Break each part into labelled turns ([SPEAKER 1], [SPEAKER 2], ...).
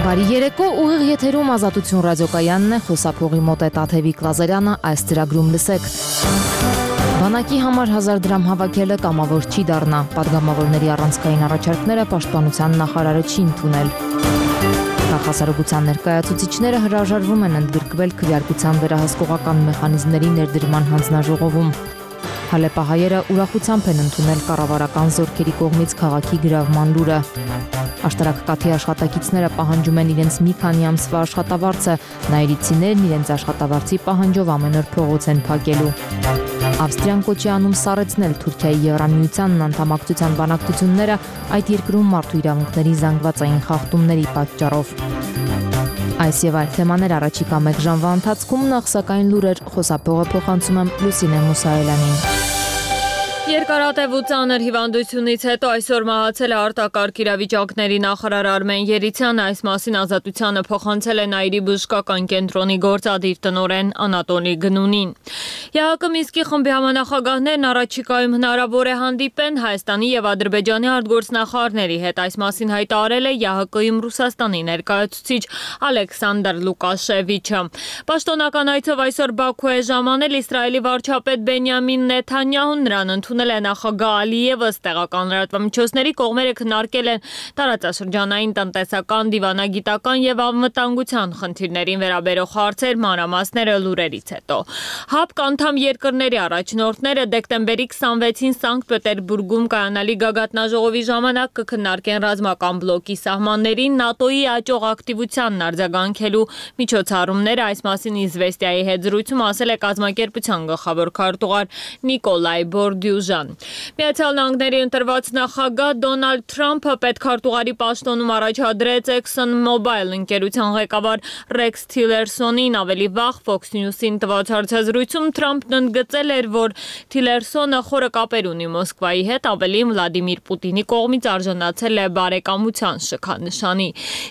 [SPEAKER 1] Բարի երեկո, ուղիղ եթերում Ազատություն ռադիոկայանն է, խոսափողի մոտ է Տաթևիկ Լազարյանը, այս ծրագրում լսեք։ Բանակի համար 1000 դրամ հավաքելը կամավոր չի դառնա, պատգամավորների առանցքային առաջարկները պաշտպանության նախարարը չի ընդունել։ Նախասարողության ներկայացուցիչները հրաժարվում են ընդգրկվել քվեարկության վերահսկողական մեխանիզմների ներդրման հանձնաժողովում։ Հալեպահայերը ուրախությամբ են ընդունել կառավարական զորքերի կողմից քաղաքի գրավման լուրը։ Աշտարակ կաթի աշխատակիցները պահանջում են իրենց մի քանի ամսվա աշխատավարձը, նայիրիցիներն իրենց աշխատավարձի պահանջով ամեն օր փողոց են փակելու։ Ավստրիան կոչ է անում սառեցնել Թուրքիայի Եվրամիությանն անդամակցության բանակցությունները այդ երկրում մարդու իրավունքների զանգվածային խախտումների պատճառով։ Այս եւ այլ թեմաներ առաջիկա 1 ժամվա ընթացքում, նախ սակայն լուրեր, խոսափողը փոխանցում եմ Լուսինե Մուսայելյանին։
[SPEAKER 2] Երկարատև ու ծանր հիվանդությունից հետո այսօր մահացել է արտակարգ իրավիճակների նախարար Արմեն Երիցյանը, այս մասին Ազատությանը փոխանցել է Նաիրի բժշկական կենտրոնի գործադիր տնօրեն Անատոլի Գնունին։ ԵԱՀԿ Մինսկի խմբի համանախագահներն առաջիկայում հնարավոր է հանդիպեն Հայաստանի եւ Ադրբեջանի արտգործնախարարների հետ, այս մասին հայտարարել է ԵԱՀԿ-ում Ռուսաստանի ներկայացուցիչ Ալեքսանդր Լուկաշևիչը։ Պաշտոնական այցով այսօր Բաքու է ժամանել Իսրայելի վարչապետ Բենյամին Նեթանյահուն, նրան ընդունել է նախագահ Ալիևը, տեղական լրատվամիջոցների կողմերը քննարկել են տարածաշրջանային տնտեսական, դիվանագիտական եւ անվտանգության խնդիրներին վերաբերող հարցեր, մանրամասները լուրերից հետո։ ՀԱՊԿ անդամ երկրների առաջնորդները դեկտեմբերի 26-ին Սանկտ Պետերբուրգում կայանալի գագաթնաժողովի ժամանակ կքննարկեն ռազմական բլոկի սահմաններին ՆԱՏՕ-ի աճող ակտիվությանն արձագանքելու միջոցառումները, այս մասին Իզվեստիայի հետ զրույցում ասել է կազմակերպության գլխավոր քարտուղար Նիկոլայ Բորդյուժան։ Միացյալ Նահանգների ընտրված նախագահ Դոնալդ Թրամփը պետքարտուղարի պաշտոնում առաջադրեց ExxonMobil ընկերության ղեկավար Ռեքս Թիլերսոնին, ավելի վաղ Fox News-ին տված հարցազրույցում Թրամփն ընդգծել էր, որ Թիլերսոնը խորը կապեր ունի Մոսկվայի հետ, ավելին Վլադիմիր Պուտինի կողմից արժանացել է բարեկամության շքանշանի։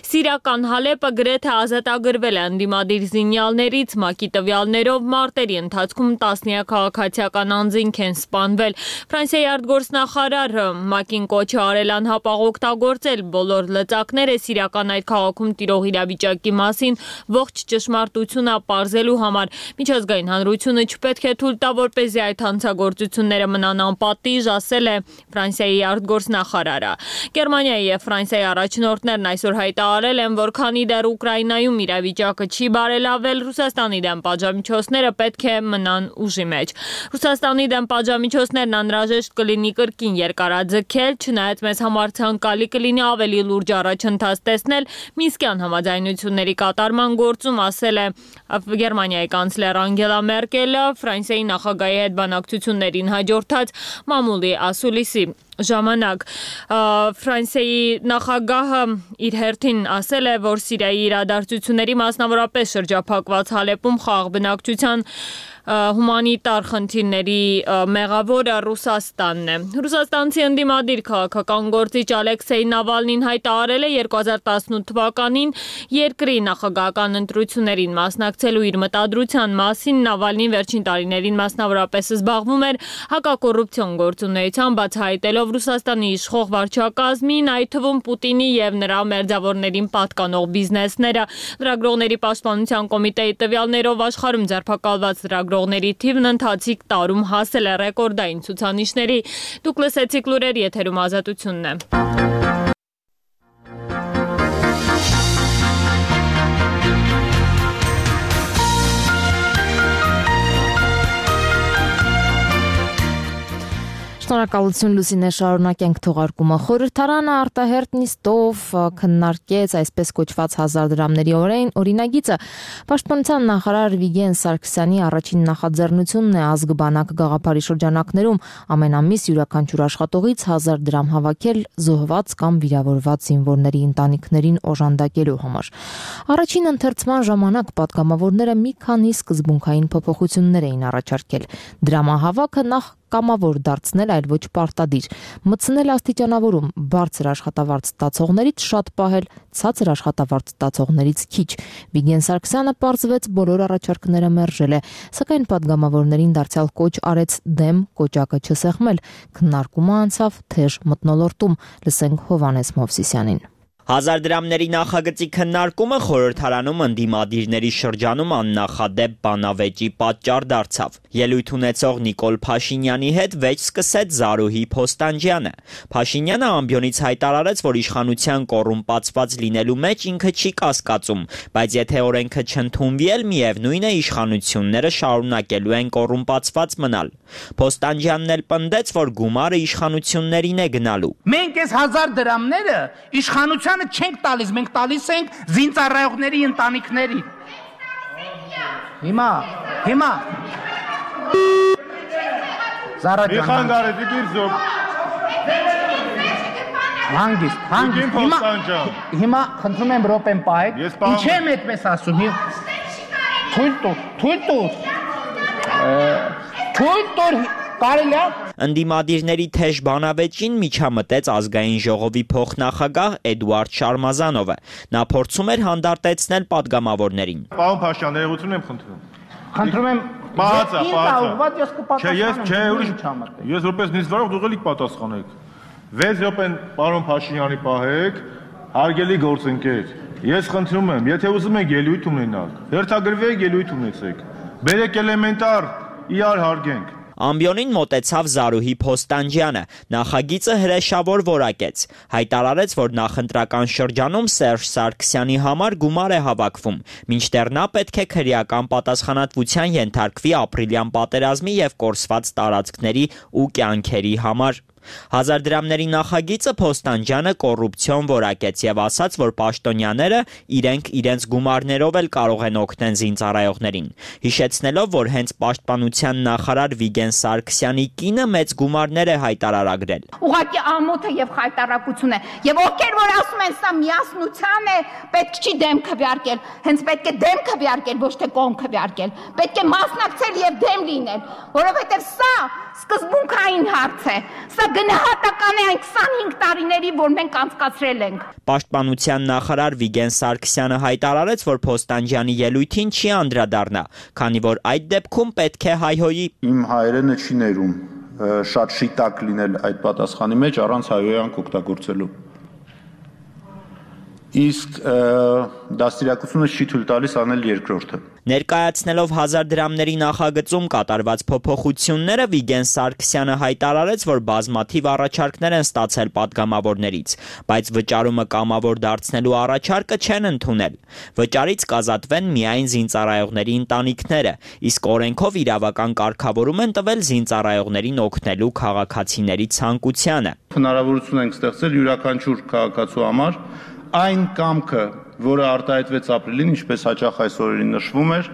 [SPEAKER 2] Սիրիական Հալեպը գրեթե ազատագրվել է ընդդիմադիր զինյալներից, ՄԱԿ-ի տվյալներով մարտերի ընթացքում տասնյակ քաղաքացիական անձինք են սպանվել։ Ֆրանսիայի արտգործնախարար ՄԱԿ-ին կոչ է արել անհապաղ օգտագործել բոլոր լծակները սիրիական այդ քաղաքում տիրող իրավիճակի մասին ողջ ճշմարտությունը պարզելու համար։ Միջազգային հանրությունը չպետք է թույլ տա, որպեսզի այդ հանցագործությունները մնան անպատիժ, ասել է Ֆրանսիայի արտգործնախարարը։ Գերմանիայի եւ Ֆրանսիայի առաջնորդներն այսօր հայտարարել են, որ քանի դեռ Ուկրաինայում իրավիճակը չի բարելավել, Ռուսաստանի դեմ պատժամիջոցները պետք է մնան ուժի մեջ։ Ռուսաստանի դեմ պատժամիջոցներն անհրաժեշտ կլինի կրկին երկարաձգել, չնայած մեզ համար ցանկալի կլինի ավելի լուրջ առաջընթաց տեսնել Մինսկյան համաձայնությունների կատարման գործում, ասել է Գերմանիայի կանցլեր Անգելա Մերկելը Ֆրանսիայի նախագահի հետ բանակցություններին հաջորդած մամուլի ասուլիսի ժամանակ։ Ֆրանսիայի նախագահը իր հերթին ասել է, որ Սիրիայի իրադարձությունների, մասնավորապես շրջափակված Հալեպում խաղաղ բնակչության հումանիտար խնդիրների մեղավորը Ռուսաստանն է։ Ռուսաստանցի ընդդիմադիր քաղաքական գործիչ Ալեքսեյ Նավալնին հայտարարել է 2018 թվականին երկրի նախագահական ընտրություններին մասնակցելու իր մտադրության մասին։ Նավալնին վերջին տարիներին մասնավորապես զբաղվում էր հակակոռուպցիոն գործունեությամբ, բացահայտելով Ռուսաստանի իշխող վարչակազմին, այդ թվում Պուտինի եւ նրա մերձավորներին պատկանող բիզնեսները։ Լրագրողների պաշտպանության կոմիտեի տվյալներով աշխարհում ձերբակալված լրագրողների թիվն ընթացիկ տարում հասել է ռեկորդային ցուցանիշների։ Դուք լսեցիք լուրեր, եթերում Ազատությունն է։
[SPEAKER 1] Շնորհակալություն Լուսինե, շարունակենք թողարկումը։ Խորհրդարանը արտահերտ նիստով քննարկեց այսպես կոչված 1000 դրամների օրինագիծը։ Պաշտպանության նախարար Վիգեն Սարգսյանի առաջին նախաձեռնությունն է ազգ-բանակ գաղափարի շրջանակներում ամեն ամիս յուրաքանչյուր աշխատողից 1000 դրամ հավաքել զոհված կամ վիրավորված զինվորների ընտանիքներին օժանդակելու համար։ Առաջին ընթերցման ժամանակ պատգամավորները մի քանի սկզբունքային փոփոխություններ էին առաջարկել։ Դրամահավաքը նախ կամավոր դարձնել, այլ ոչ պարտադիր, մտցնել աստիճանավորում, բարձր աշխատավարձ ստացողներից շատ պահել, ցածր աշխատավարձ ստացողներից քիչ։ Վիգեն Սարգսյանը պարզվեց բոլոր առաջարկները մերժել է, սակայն պատգամավորներին դարձյալ կոչ արեց դեմ կոճակը չսեղմել։ Քննարկումը անցավ թեժ մթնոլորտում, լսենք Հովհաննես Մովսիսյանին։
[SPEAKER 3] 1000 դրամների նախագծի քննարկումը խորհրդարանում ընդդիմադիրների շրջանում աննախադեպ բանավեճի պատճառ դարձավ։ Ելույթ ունեցող Նիկոլ Փաշինյանի հետ վեճ սկսեց Զարուհի Փոստանջյանը։ Փաշինյանը ամբիոնից հայտարարեց, որ իշխանության կոռումպացված լինելու մեջ ինքը չի կասկածում, բայց եթե օրենքը չընդունվի էլ միևնույն է իշխանությունները շարունակելու են կոռումպացված մնալ։ Փոստանջյանն էլ պնդեց, որ գումարը իշխանություններին է գնալու։
[SPEAKER 4] Մենք այս 1000 դրամները իշխանությանը չենք տալիս, մենք տալիս ենք զինծառայողների ընտանիքներին։ Հիմա Զարա ջան։
[SPEAKER 5] Միխանգարեդի դիրզոb։
[SPEAKER 4] Հանգիստ։ Հիմա խնդրում եմ րոպեն պայք։ Ինչ եմ այդպես ասում։ Թույլ տուր կարելի է։
[SPEAKER 3] Ընդդիմադիրների թեժ բանավեճին միջամտեց ազգային ժողովի փոխնախագահ Էդուարդ Շարմազանովը։ Նա փորձում էր հանդարտեցնել պատգամավորներին։
[SPEAKER 5] Պարոն Փաշյան, ներողություն եմ խնդրում։
[SPEAKER 4] Խնդրում եմ
[SPEAKER 5] Պահացա։
[SPEAKER 4] Չէ,
[SPEAKER 5] Ես որպես նիստվարող դուք եք պատասխանեք։ 6 րոպեն պարոն Փաշինյանի պահեք, հարգելի գործընկեր։ Ես խնդրում եմ, եթե ուզում եք ելույթ ունենալ, հերթագրվեք ելույթ ունեցեք։ Բերեք էլեմենտար իրար հարգենք։
[SPEAKER 3] Ամբիոնին մոտեցավ Զարուհի Փոստանջյանը, նախագիծը հրեշավոր որակեց, հայտարարեց, որ նախընտրական շրջանում Սերժ Սարգսյանի համար գումար է հավաքվում, մինչդեռ նա պետք է քրեական պատասխանատվության ենթարկվի ապրիլյան պատերազմի եւ կորսված տարածքների ու կյանքերի համար։ 1000 դրամների նախագիծը Փոստանջյանը կոռուպցիոն որակեց եւ ասաց, որ պաշտոնյաները իրենց գումարներով էլ կարող են օգնել զինծառայողներին, հիշեցնելով, որ հենց պաշտպանության նախարար Վիգեն Սարգսյանի կինը մեծ գումարներ է հայտարարագրել։
[SPEAKER 6] Ուղղակի ամոթը եւ խայտարակություն է, եւ ովքեր որ ասում են սա միասնության է, պետք չի դեմ քվեարկել, հենց պետք է դեմ քվեարկել, ոչ թե կողմ քվեարկել, պետք է մասնակցել եւ դեմ լինել, որովհետեւ սա սկզբունքային հարց է, սա գնահատական է այն 25 տարիների, որ մենք անցկացրել ենք։
[SPEAKER 3] Պաշտպանության նախարար Վիգեն Սարգսյանը հայտարարեց, որ Փոստանջյանի ելույթին չի անդրադառնա, քանի որ այդ դեպքում պետք է հայհոյի։
[SPEAKER 7] Իմ հայերենը չի ներում շատ շիտակ լինել այդ պատասխանի մեջ առանց հայհոյանք օգտագործելու։ Իսկ դաստիարակությունը չի թույլ տալիս անել երկրորդը։
[SPEAKER 3] Ներկայացնելով 1000 դրամների նախագծում կատարված փոփոխությունները Վիգեն Սարգսյանը հայտարարեց, որ բազմաթիվ առաջարկներ են ստացել պատգամավորներից, բայց վճարումը կամավոր դարձնելու առաջարկը չեն ընդունել։ Վճարից կազատվեն միայն զինծառայողների ընտանիքները, իսկ օրենքով իրավական կարգավորում են տվել զինծառայողներին օգնելու քաղաքացիների ցանկությանը։
[SPEAKER 7] Հնարավորություն ենք ստեղծել յուրաքանչյուր քաղաքացու համար այն կամքը, որը արտահայտվեց ապրիլին, ինչպես հաճախ այս օրերին նշվում էր,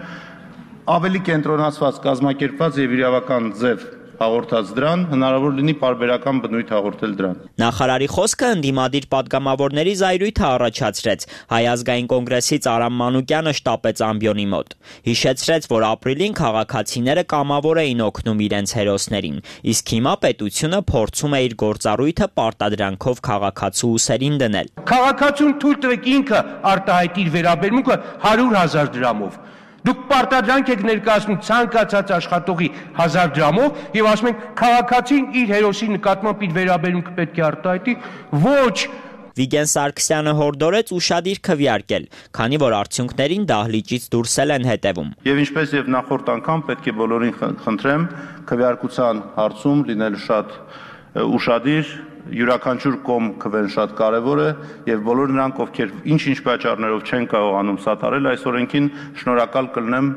[SPEAKER 7] ավելի կենտրոնացված, կազմակերպված եւ իրավական ձև հաղորդած դրան, հնարավոր լինի պարբերական բնույթ հաղորդել դրան։
[SPEAKER 3] Նախարարի խոսքը ընդդիմադիր պատգամավորների զայրույթը առաջացրեց։ Հայ ազգային կոնգրեսից Արամ Մանուկյանը շտապեց ամբիոնի մոտ։ Հիշեցրեց, որ ապրիլին քաղաքացիները կամավոր էին օգնում իրենց հերոսներին, իսկ հիմա պետությունը փորձում է իր գործառույթը պարտադրանքով քաղաքացու ուսերին դնել։
[SPEAKER 4] Քաղաքացուն թույլ տվեք ինքը արտահայտի իր վերաբերմունքը 100,000 դրամով։ Դուք պարտադրանք եք ներկայացնում ցանկացած աշխատողի 1000 դրամով եւ ասում եք քաղաքացին իր հերոսի նկատմամբ իր վերաբերմունքը պետք է արտահայտի, ոչ։
[SPEAKER 3] Վիգեն Սարգսյանը հորդորեց ուշադիր քվեարկել, քանի որ արդյունքներին դահլիճից դուրս են հետևում։
[SPEAKER 7] Եվ ինչպես եւ նախորդ անգամ պետք է բոլորին խնդրեմ քվեարկության հարցում լինել շատ ուշադիր, յուրաքանչյուր կողմ քվեն շատ կարևոր է եւ բոլոր նրանք, ովքեր ինչ-ինչ պատճառներով չեն կարողանում սատարել այս օրենքին, շնորհակալ կլինեմ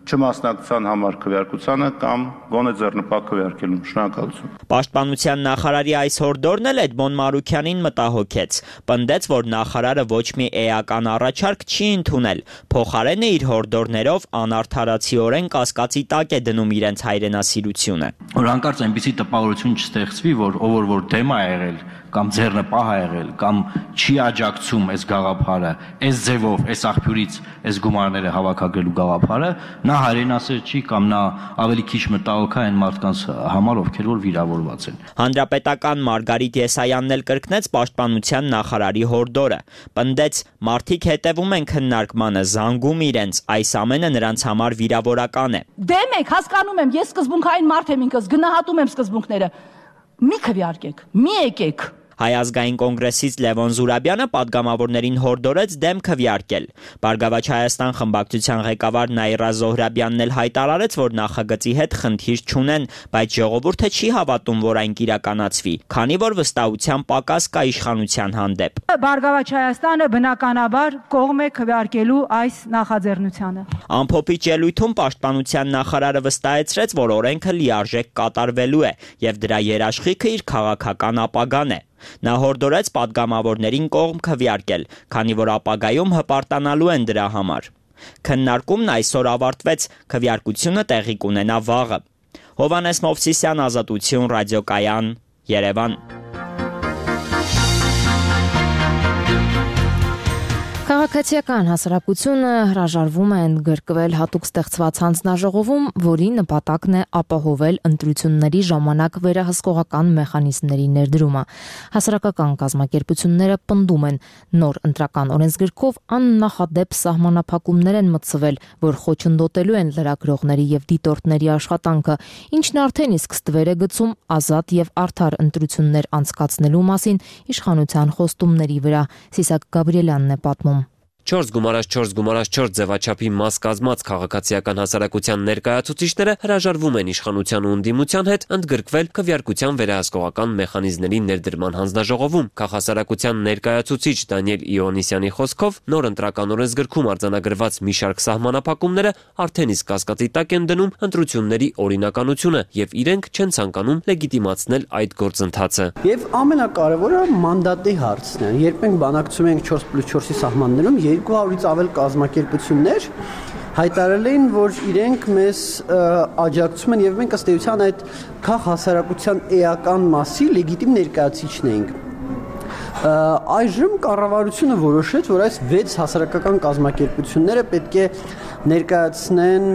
[SPEAKER 7] չմասնակցության համար քվեարկությանը կամ գոնե ձեռնպատ քվեարկելուն։ Շնորհակալություն։
[SPEAKER 3] Պաշտպանության նախարարի այս հորդորն էլ Էդմոն Մարուքյանին մտահոգեց։ Պնդեց, որ նախարարը ոչ մի էական առաջարկ չի ընդունել, փոխարենը իր հորդորներով անարդարացիորեն կասկածի տակ է դնում իրենց հայրենասիրությունը։
[SPEAKER 8] Որ հանկարծ այնպիսի տպավորություն չստեղծվի, որ ով որ դեմ է եղել կամ ձեռնպահ է եղել կամ չի աջակցում այս գաղափարը, այս ձևով, այս աղբյուրից այս գումարները հավաքագրելու գաղափարը, նա հայրենասեր չի կամ նա ավելի քիչ մտահոգ է այն մարդկանց համար, ովքեր որ վիրավորված են։
[SPEAKER 3] Հանրապետական Մարգարիտ Եսայանն էլ կրկնեց պաշտպանության նախարարի հորդորը, պնդեց, մարդիկ հետևում են քննարկմանը, զանգում իրենց, այս ամենը նրանց համար վիրավորական է։
[SPEAKER 9] Դեմ եք, հասկանում եմ, ես սկզբունքային մարդ եմ ինքս, գնահատում եմ սկզբունքները։ Մի քվեարկեք, մի եկեք։
[SPEAKER 3] Հայ ազգային կոնգրեսից Լևոն Զուրաբյանը պատգամավորներին հորդորեց դեմ քվեարկել։ Բարգավաճ Հայաստան խմբակցության ղեկավար Նաիրա Զոհրաբյանն էլ հայտարարեց, որ նախագծի հետ խնդիր չունեն, բայց ժողովուրդը չի հավատում, որ այն կիրականացվի, քանի որ վստահության պակաս կա իշխանության հանդեպ։
[SPEAKER 9] Բարգավաճ Հայաստանը բնականաբար կողմ է քվեարկելու այս նախաձեռնությանը։
[SPEAKER 3] Ամփոփիչ ելույթում պաշտպանության նախարարը վստահեցրեց, որ օրենքը լիարժեք կատարվելու է եւ դրա երաշխիքը իր քաղաքական ապագան է։ Նա հորդորեց պատգամավորներին կողմ քվեարկել, քանի որ ապագայում հպարտանալու են դրա համար։ Քննարկումն այսօր ավարտվեց, քվեարկությունը տեղի կունենա վաղը։ Հովհաննես Մովսիսյան, Ազատություն, ռադիոկայան, Երևան։
[SPEAKER 1] Քաղաքացիական հասարակությունը հրաժարվում է ընդգրկվել հատուկ ստեղծված հանձնաժողովում, որի նպատակն է ապահովել ընտրությունների ժամանակ վերահսկողական մեխանիզմների ներդրումը։ Հասարակական կազմակերպությունները պնդում են, նոր ընտրական օրենսգրքով աննախադեպ սահմանափակումներ են մտցվել, որ խոչընդոտելու են լրագրողների եւ դիտորդների աշխատանքը, ինչն արդեն իսկ ստվեր է գցում ազատ եւ արդար ընտրություններ անցկացնելու մասին իշխանության խոստումների վրա։ Սիսակ Գաբրիելյանն է պատմում։
[SPEAKER 10] 4x4x4 ձևաչափի մաս կազմած քաղաքացիական հասարակության ներկայացուցիչները հրաժարվում են իշխանության ու ընդդիմության հետ ընդգրկվել քվեարկության վերահսկողական մեխանիզմների ներդրման հանձնաժողովում։ Քաղաքասարակության ներկայացուցիչ Դանիել Իոնիսյանի խոսքով նոր ընտրական օրենսգրքում արձանագրված մի շարք սահմանափակումները արդեն իսկ կասկածի տակ են դնում ընտրությունների օրինականությունը եւ իրենք չեն ցանկանում լեգիտիմացնել այդ գործընթացը։
[SPEAKER 11] Եվ ամենակարևորը մանդատի հարցն է։ Երբ մենք բանակցում ենք 4+4-ի սահմաններում 200-ից ավել կազմակերպություններ հայտարարել էին, որ իրենք մեզ աջակցում են եւ մենք ըստ էության այդ քաղաքասարակության էական մասի լեգիտիմ ներկայացուցիչն ենք։ Այժմ կառավարությունը որոշեց, որ այս 6 հասարակական կազմակերպությունները պետք է ներկայացնեն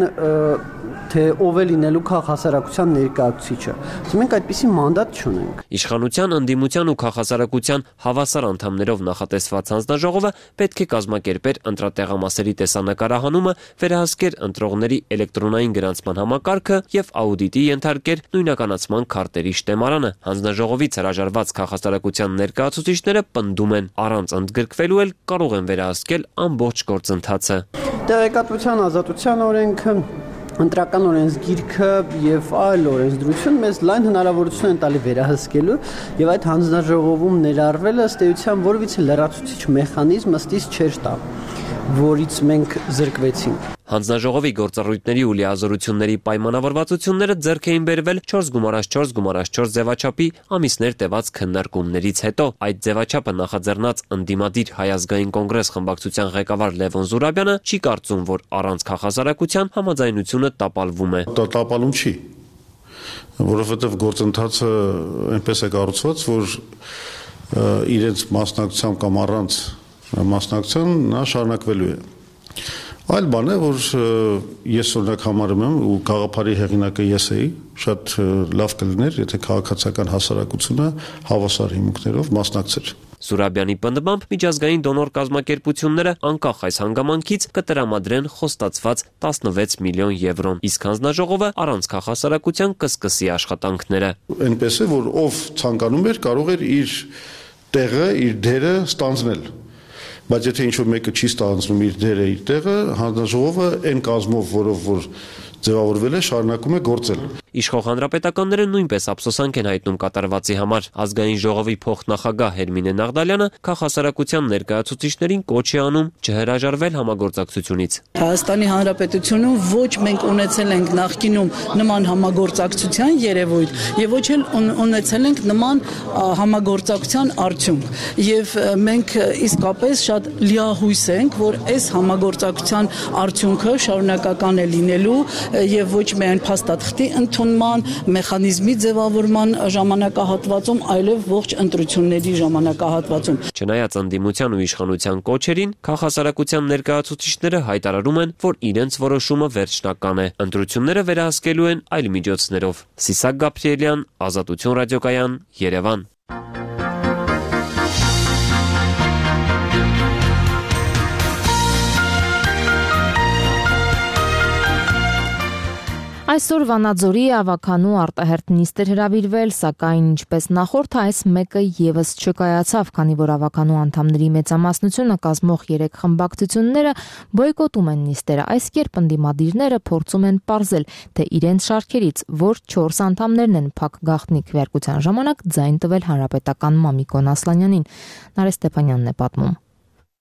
[SPEAKER 11] թե ով է լինելու քաղաքասարակության ներկայացուցիչը։ Մենք այդպիսի մանդատ չունենք։
[SPEAKER 10] Իշխանության, ընդդիմության ու քաղաքասարակության հավասար անդամներով նախատեսված հանձնաժողովը պետք է կազմակերպեր ընտրատեղամասերի տեսանկարահանումը, վերահսկեր ընտրողների էլեկտրոնային գրանցման համակարգը եւ աուդիտի ենթարկեր նույնականացման քարտերի շտեմարանը։ Հանձնաժողովից հրաժարված քաղաքասարակության ներկայացուցիչները պնդում են, առանց ընդգրկվելու էլ կարող են վերահսկել ամբողջ գործընթացը։
[SPEAKER 11] Տեղեկատվության ազատության օրենքը, ընտրական օրենսգիրքը եւ այլ օրենսդրություն մեզ լայն հնարավորություն են տալի վերահսկելու եւ այդ հանձնաժողովում ներառվելը ըստ էության որևիցե լրացուցիչ մեխանիզմ ըստիս չէր տա, որից մենք զրկվեցինք։
[SPEAKER 10] Հանձնաժողովի գործառույթների ու լիազորությունների պայմանավորվածությունները ձեռք էին բերվել 4x4x4 ձևաչափի ամիսներ տևած քննարկումներից հետո։ Այդ ձևաչափը նախաձեռնած ընդդիմադիր Հայ ազգային կոնգրես խմբակցության ղեկավար Լևոն Զուրաբյանը չի կարծում, որ առանց քաղաքասարակության համաձայնությունը տապալվում է։
[SPEAKER 12] Տապալում չի, որովհետև գործընթացը այնպես է կառուցված, որ իրենց մասնակցությամբ կամ առանց մասնակցության նա շարունակվելու է։ Այլ բան է, որ ես օրինակ համարում եմ ու գաղափարի հեղինակը ես էի, շատ լավ կլիներ, եթե քաղաքացիական հասարակությունը հավասար հիմունքներով մասնակցեր։
[SPEAKER 10] Զուրաբյանի պնդմամբ միջազգային դոնոր կազմակերպությունները անկախ այս հանգամանքից կտրամադրեն խոստացված 16 միլիոն եվրոն, իսկ հանձնաժողովը առանց քաղաքասարակության կսկսի աշխատանքները։
[SPEAKER 12] Այնպես է, որ ով ցանկանում էր, կարող էր իր տեղը, իր դերը ստանձնել։ Բայց եթե ինչ-որ մեկը չի ստանձնում իր դերը, իր տեղը, հանձնաժողովը այն կազմով, որով որ ձևավորվել է, շարունակում է գործել։
[SPEAKER 10] Իշխող հանրապետականները նույնպես ափսոսանք են հայտնում կատարվածի համար։ Ազգային ժողովի փոխնախագահ Հերմինե Նաղդալյանը քաղաքասարակության ներկայացուցիչներին կոչ է անում չհրաժարվել համագործակցությունից։
[SPEAKER 13] Հայաստանի Հանրապետությունում ոչ մենք ունեցել ենք նախկինում նման համագործակցության երևույթ եւ ոչ էլ ունեցել ենք նման համագործակցության արդյունք։ Եվ մենք իսկապես շատ լիահույս ենք, որ այս համագործակցության արդյունքը շարունակական է լինելու եւ ոչ միայն փաստաթղթի ընդունման մեխանիզմի ձևավորման ժամանակահատվածում, այլև ողջ ընտրությունների ժամանակահատվածում։
[SPEAKER 10] Չնայած ընդդիմության ու իշխանության կոչերին, քաղաքասարակության ներկայացուցիչները հայտարարում են, որ իրենց որոշումը վերջնական է։ Ընտրությունները վերահսկելու են այլ միջոցներով։ Սիսակ Գաբրիելյան, Ազատություն ռադիոկայան, Երևան։
[SPEAKER 1] Այսօր Վանաձորի ավականու արտահերթ նիստ էր հրավիրվել, սակայն ինչպես նախորդ այս մեկը եւս չկայացավ, քանի որ ավականու անդամների մեծամասնությունը կազմող 3 խմբակցությունները բոյկոտում են նիստերը։ Այս կերպ ընդդիմադիրները փորձում են պարզել, թե իրենց շարքերից որ 4 անդամներն են փակ գաղտնի քվեարկության ժամանակ ձայն տվել հանրապետական Մամիկոն Ասլանյանին։ Նարէ Ստեփանյանն է պատմում։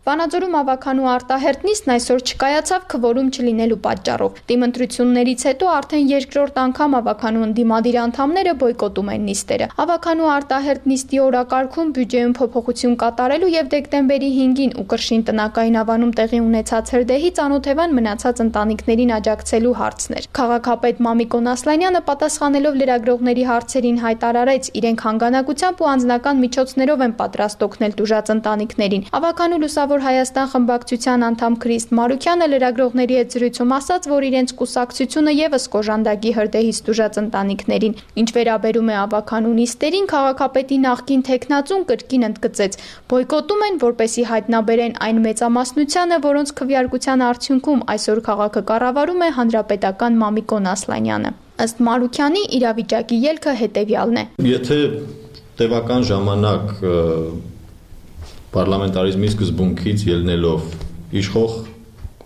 [SPEAKER 14] Վանաձորում ավականու արտահերթ նիստն այսօր չկայացավ քվորում չլինելու պատճառով։ Դիմընտրություններից հետո արդեն երկրորդ անգամ ավականու ընդդիմադիր անդամները բոյկոտում են նիստերը։ Ավականու արտահերթ նիստի օրակարգում բյուջեում փոփոխություն կատարելու եւ դեկտեմբերի 5-ին ու Կրշին տնական ավանում տեղի ունեցած հրդեհի ծանոթևան մնացած ընտանիքներին աջակցելու հարցն էր։ Քաղաքապետ Մամիկոն Ասլանյանը պատասխանելով լրագրողների հարցերին հայտարարեց, իրենք հանգանակությամբ ու անձնական միջոցներով են պատրաստ օգնել տուժած ընտանիքներին։ Ավականու Հայաստան խմբակցության անդամ Քրիստ Մարուքյանը լրագրողների հետ զրույցում ասաց, որ իրենց կուսակցությունը եւս կոժանդակի հրդեհից տուժած ընտանիքներին։ Ինչ վերաբերում է ավականու նիստերին, քաղաքապետի նախկին թեկնածուն կրկին ընդգծեց, բոյկոտում են, որպեսզի հայտնաբերեն այն մեծամասնությանը, որոնց քվեարկության արդյունքում այսօր քաղաքը կառավարում է հանրապետական Մամիկոն Ասլանյանը։ Ըստ Մարուքյանի իրավիճակի ելքը հետեւյալն է։
[SPEAKER 15] Եթե տևական ժամանակ պարլամենտարիզմի սկզբունքից ելնելով իշխող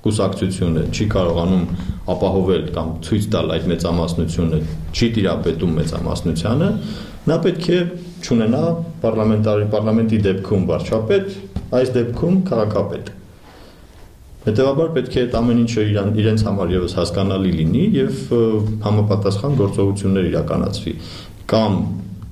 [SPEAKER 15] կուսակցությունը չի կարողանում ապահովել կամ ցույց տալ այդ մեծամասնությունը, չի տիրապետում մեծամասնությանը, նա պետք է չունենա պարլամենտի դեպքում վարչապետ, այս դեպքում քաղաքապետ։ Հետևաբար պետք է այդ ամեն ինչը իրենց համար եւս հասկանալի լինի եւ համապատասխան գործողություններ իրականացվի կամ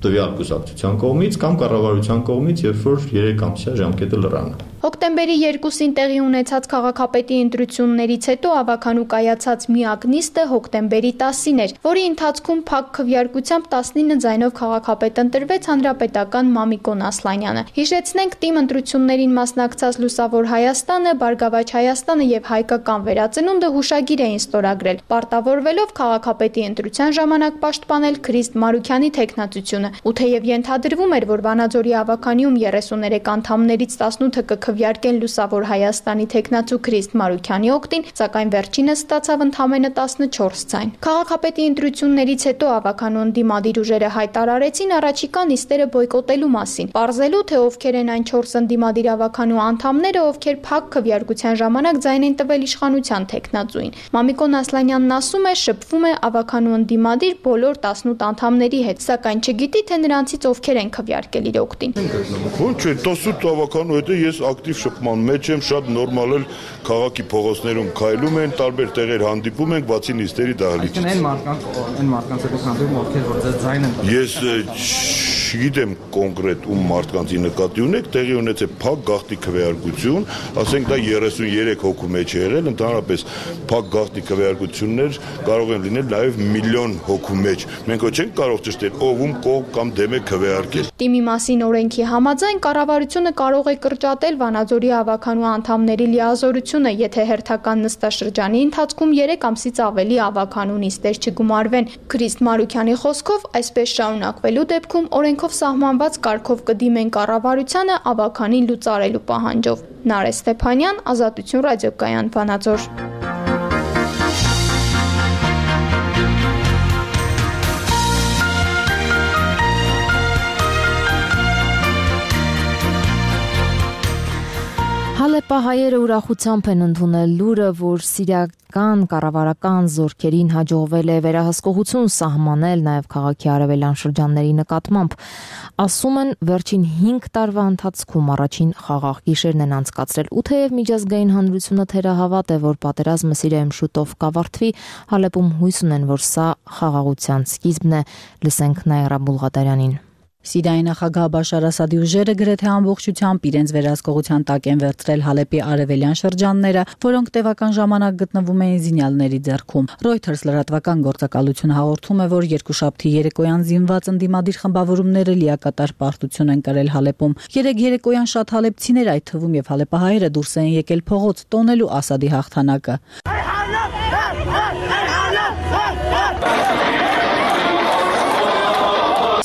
[SPEAKER 15] տվյալ կուսակցության կողմից կամ կառավարության կողմից, երբ որ 3 ամսյա ժամկետը լռանը։
[SPEAKER 14] Հոկտեմբերի 2-ին տեղի ունեցած քաղաքապետի ընտրություններից հետո ավականու կայացած միակ նիստը հոկտեմբերի 10-ին էր, որի ընթացքում փակ քվեարկությամբ 19 ձայնով քաղաքապետ ընտրվեց հանրապետական Մամիկոն Ասլանյանը։ Հիշեցնենք, թիմ ընտրություններին մասնակցած Լուսավոր Հայաստանը, Բարգավաճ Հայաստանը եւ Հայկական վերածնունդը հուշագիր էին ստորագրել, պարտավորվելով քաղաքապետի ընտրության ժամանակ պաշտպանել Քրիստ Մարուքյանի թեկնածությունը։ Ու թեև ենթադրվում էր, որ Վանաձորի ավականիում 33 անդամներից 18-ը կքվեարկեն Լուսավոր Հայաստանի թեկնածու Քրիստ Մարուքյանի օգտին, սակայն վերջինս ստացավ ընդամենը 14 ձայն։ Քաղաքապետի ընտրություններից հետո ավականու ընդդիմադիր ուժերը հայտարարեցին առաջիկա նիստերը բոյկոտելու մասին, պարզելու, թե ովքեր են այն 4 ընդդիմադիր ավականու անդամները, ովքեր փակ քվեարկության ժամանակ ձայն են տվել իշխանության թեկնածուին։ Մամիկոն Ասլանյանն ասում է, շփվում է ավականու ընդդիմադիր բոլոր 18 անդամների հետ, սակայն չգիտի, թե նրանցից ովքեր են քվեարկել իր օգտին։
[SPEAKER 16] Ո՞նց է, 18 ավականու հետ ես ակտիվ շփման մեջ եմ, շատ նորմալ էլ քաղաքի փողոցներում քայլում են, տարբեր տեղեր հանդիպում ենք, բացի նիստերի դահլիճից։ Այն մարդկանց հետ հանդիպում, ովքեր որ ձեզ ձայն են տալիս։ Ես չգիտեմ կոնկրետ ում մարդկանցի նկատի ունեք, տեղի ունեցել փակ գաղտնի քվեարկություն, ասենք դա 33 հոգու մեջ է եղել, ընդհանրապես փակ գաղտնի քվեարկություններ կարող են լինել նաև միլիոն հոգու մեջ։ Մենք չենք կարող ճշտել ով ում կողմ կամ դեմ է քվեարկել։ Թիմի
[SPEAKER 14] մասին օրենքի համաձայն կառավարությունը կարող է կրճատել Վանաձորի ավականու անդամների լիազորությունը, եթե հերթական նստաշրջանի ընթացքում 3 ամսից ավելի ավականու նիստեր չգումարվեն։ Քրիստ Մարուքյանի խոսքով, այսպես շարունակվելու դեպքում օրենքով սահմանված կարգով կդիմեն կառավարությանը ավականին լուծարելու պահանջով։ Նարէ Ստեփանյան, Ազատություն ռադիոկայան, Վանաձոր։
[SPEAKER 1] Հալեպահայերը ուրախությամբ են ընդունել լուրը, որ սիրիական կառավարական զորքերին հաջողվել է վերահսկողություն սահմանել նաև քաղաքի արևելյան շրջանների նկատմամբ։ Ասում են, վերջին 5 տարվա ընթացքում առաջին խաղաղ գիշերն են անցկացրել, ու թեև միջազգային հանրությունը թերահավատ է, որ պատերազմը Սիրիայում շուտով կավարտվի, Հալեպում հույս ունեն, որ սա խաղաղության սկիզբն է։ Լսենք Նաիրա Բուլղադարյանին։
[SPEAKER 17] Սիրիայի նախագահ Բաշար Ասադի ուժերը գրեթե ամբողջությամբ իրենց վերահսկողության տակ են վերցրել Հալեպի արևելյան շրջանները, որոնք տևական ժամանակ գտնվում էին զինյալների ձեռքում։ Reuters լրատվական գործակալությունը հաղորդում է, որ երկուշաբթի երեկոյան զինված ընդդիմադիր խմբավորումները լիակատար պարտություն են կրել Հալեպում։ Երեկոյան շատ հալեպցիներ, այդ թվում եւ հալեպահայերը, դուրս են եկել փողոց տոնելու Ասադի հաղթանակը։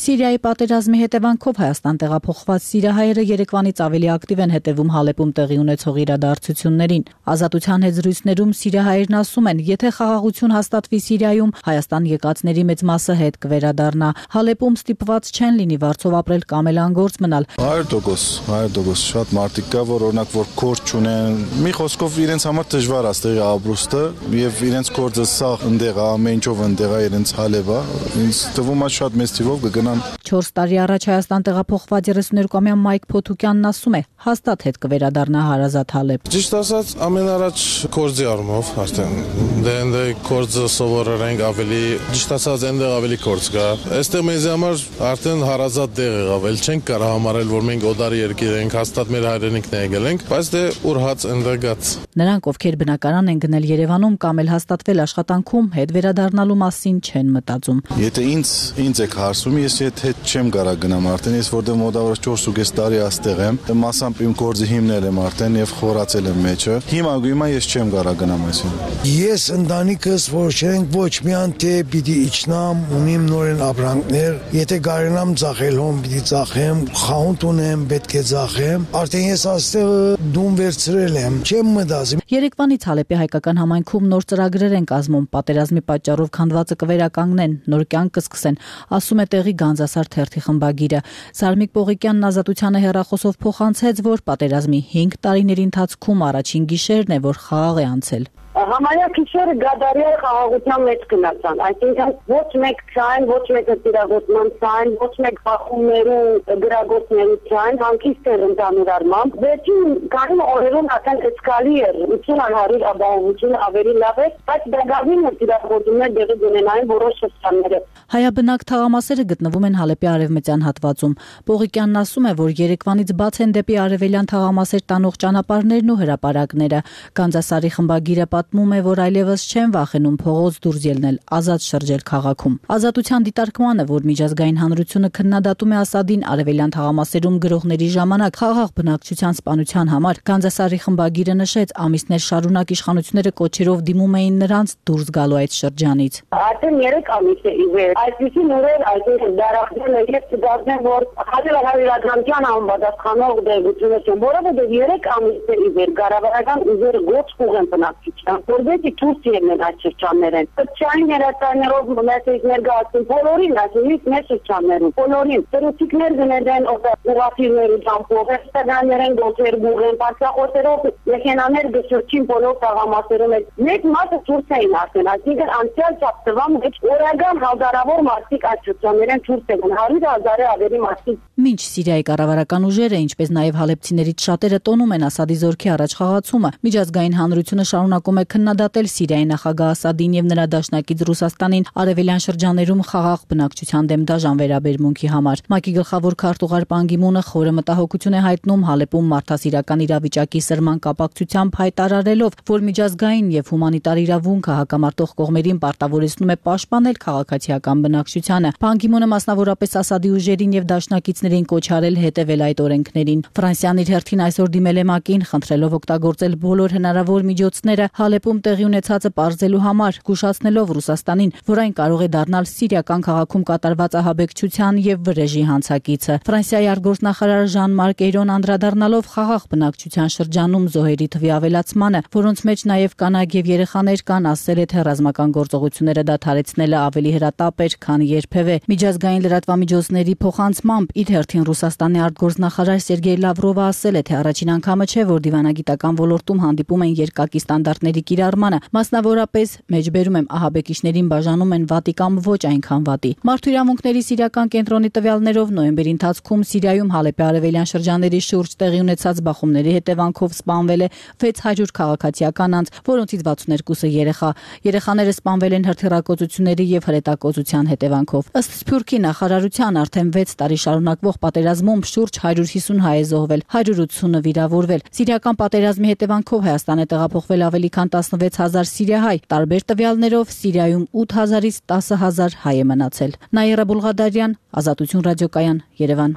[SPEAKER 17] Սիրիայի պատերազմի հետևանքով Հայաստան տեղափոխված սիրիահայերը երեկվանից ավելի ակտիվ են հետևում Հալեպում տեղի ունեցող իրադարձություններին։ Ազատության հետ զրույցներում սիրիահայերն ասում են, եթե խաղաղություն հաստատվի Սիրիայում, Հայաստան եկածների մեծ մասը հետ կվերադառնա։ Հալեպում ստիպված չեն լինի վարձով ապրել կամ էլ անգործ մնալ։
[SPEAKER 18] 100% շատ մարդիկ կա, որ օրինակ որ գործ չունեն, մի խոսքով իրենց համար դժվար է ստեղի ապրուստը եւ իրենց գործը սաղ ընդեղ է, ամեն ինչով ընդեղ է, իրենց հալեվ է։ Ինձ թվում է շատ մեծ թիվով կգնան։ 4 տարի առաջ Հայաստան տեղափոխված 32-ամյա Մայք Փոթուկյանն ասում է, հաստատ հետ կվերադառնա հարազատ Հալեբ։
[SPEAKER 19] Ճիշտ ասած, ամեն առաջ գործի առումով, արդեն դե գործը սովորել ենք ավելի, ճիշտ ասած, այնտեղ ավելի գործ կա։ Այստեղ մեզ համար արդեն հարազատ տեղ եղավ, էլ չենք կարող համարել, որ մենք օդարի երկիր ենք, հաստատ մեր հայրենիքն է եկել ենք, բայց դե ուր հաց այնտեղ գաց։
[SPEAKER 17] Նրանք, ովքեր բնակարան են գնել Երևանում կամ էլ հաստատվել աշխատանքում, հետ վերադառնալու մասին չեն մտածում։
[SPEAKER 18] Եթե ինձ եք հարցում, ես հետ չեմ կարա գնամ արդեն, ես որտեղ մոտավորապես 4.5 տարի աստեղ եմ, մասամբ իմ գործը հիմնել եմ արդեն եւ խորացել եմ մեջը։ Հիմա ես չեմ կարա գնամ այսին։
[SPEAKER 20] Ես ընտանիքս որոշենք ոչ միայն թե պիտի իջնամ, ունիմ նորեն ապրանքներ, եթե կարենամ ծախել հոմ պիտի ծախեմ, խանութ ունեմ, պետք է ծախեմ, արդեն ես աստեղ դում վերցրել եմ, չեմ մտածում։
[SPEAKER 17] Երեկվանից Հալեպի հայկական համայնքում նոր ծրագրեր են կազմում, պատերազմի պատճառով քանդվածը կվերականգնեն, նոր կյանք կսկսեն, ասում է տեղի Գանձասար թերթի խմբագիրը։ Սարմիկ Պողիկյանն Ազատությանը հեռախոսով փոխանցեց, որ պատերազմի 5 տարիների ընթացքում առաջին գիշերն է, որ խաղաղ է անցել։
[SPEAKER 21] Համարյա քիշերը գադարիա խաղաղության մեջ գնացան, այսինքն ոչ մեկ չայն, ոչ մեկը տիրագործման չայն, ոչ մեկ բախումներու գրագործներու չայն, հանգիստ էր ընդհանուր առմամբ։ Վերջին քանի օրերում արդեն էսկալի էր, 80-100 ապահովությունը ավելի լավ էր, բայց դեղավին տիրագործումներ դեղի ունենային որոշ շրջանները։
[SPEAKER 17] Հայաբնակ թաղամասերը գտնվում են Հալեպի արևմտյան հատվածում։ Պողիկյանն ասում է, որ Երևանից բաց են դեպի արևելյան թաղամասեր տանող ճանապարհներն ու հրապարակները։ Գանձասարի խմբագիրը պատմում է, որ այլևս չեն վախենում փողոց դուրս ելնել, ազատ շրջել քաղաքում։ Ազատության դիտարկմանը, որ միջազգային հանրությունը քննադատում է Ասադին արևելյան թաղամասերում գրողների ժամանակ խաղաղ բնակչության սպանության համար, Գանձասարի խմբագիրը նշեց, ամիսներ շարունակ իշխանությունները կոչերով դիմում էին նրանց դուրս գալու այդ շրջանից։
[SPEAKER 21] Արդեն 3 ամիս է իվեր, այսպիսի նորեր այսինքն դարախտել է եւ դարձնել, որ հարյուրական անպատասխանող դեպքեր չեն, որովհետեւ 3 ամիս է իվեր կառավարական ուժերը գոչ կուղեն բնակչության, որովհետեւ դուրս ելնեն այդ շրջաններեն։ Սոցիալային երաշխիքներով մեսեջ ներկայացին բոլորին, այսինքն մեր շրջաններում, բոլորին ծրուցիկներ գնեն ուղղաթիռների ճամփով, ռեստորաններեն գոչեր գուղեն, բարձրախոսերով մեքենաներ գշրջին բոլոր թաղամասերում։ Մեծ մասը դուրս էին արդեն, այսինքն անցյալ շաբաթվա մեջ օրական հազարավոր մարդիկ այդ շրջաններեն դուրս եկան, 100,000-ը ավելի մարդիկ։
[SPEAKER 17] Մինչ Սիրիայի կառավարական ուժերը, ինչպես նաև հալեպցիներից շատերը տոնում են Ասադի զորքի առաջխաղացումը, միջազգային հանրությունը շարունակում է քննադատել Սիրիայի նախագահ Ասադին եւ նրա դաշնակից Ռուսաստանին արևելյան շրջաներում խաղաղ բնակչության դեմ դաժան վերաբերմունքի համար։ ՄԱԿ-ի գլխավոր քարտուղար Պան Գի Մունը խորը մտահոգություն է հայտնում Հալեպում մարդասիրական իրավիճակի սրման կապակցությամբ, հայտարարելով, որ միջազգային եւ հումանիտար իրավունքը հակամարտող կողմերին պարտավորեցնում է պաշտպանել քաղաքացիական բնակչությանը։ Պան Գի Մունը մասնավորապես Ասադի ուժերին եւ դաշնակիցներին կոչ արել հետևել այդ օրենքներին։ Ֆրանսիան իր հերթին այսօր դիմել է ՄԱԿ-ին, խնդրելով օգտագործել բոլոր հնարավոր միջոցները Հալեպում տեղի ունեցածը պարզելու համար, զգուշացնելով Ռուսաստանին, որ այն կարող է դառնալ սիրիական քաղաքում կատարված ահաբեկչության եւ վրեժի հանցակիցը։ Ֆրանսիայի արտգործնախարար Ժան-Մարկ Էյրոն անդրադառնալով խաղաղ բնակչության շրջանում զոհերի թվի ավելացմանը, որոնց մեջ նաեւ կանայք եւ երեխաներ կան, ասել է, թե ռազմական գործողությունները դադարեցնելը ավելի հրատապ էր, քան երբևէ։ Միջազգային լրատվամիջոցների փոխանցմամբ իր հերթին Ռուսաստանի արտգործնախարար Սերգեյ Լավրովը ասել է, թե առաջին անգամը չէ, որ դիվանագիտական ոլորտում հանդիպում են երկակի ստանդարտների կիրառմանը, մասնավորապես մեջբերում եմ ահաբեկիչներին բաժանում են վատի կամ ոչ այնքան վատի։ Մարդու իրավունքների սիրիական կենտրոնի տվյալներով նոյեմբերի ընթացքում Սիրիայում Հալեպի արևելյան շրջանների շուրջ տեղի ունեցած բախումների հետևանքով սպանվել է 600 քաղաքացիական անձ, որոնցից 62-ը երեխա։ Երեխաները սպանվել են հրթիռակոծությունների եւ հրետակոծության հետևանքով։ Ըստ Սփյուռքի նախարարության արդեն 6 տարի շարունակվող պատերազմում շուրջ 150 հայ է զոհվել, 180-ը վիրավորվել։ Սիրիական պատերազմի հետևանքով Հայաստան է տեղափոխվել ավելի քան 16000 սիրիահայ։ Տարբեր տվյալներով Սիրիայում 8000-ից 10000 հայ է մնացել։ Նաիրա Բուլղադարյան, Ազատություն ռադիոկայան, Երևան։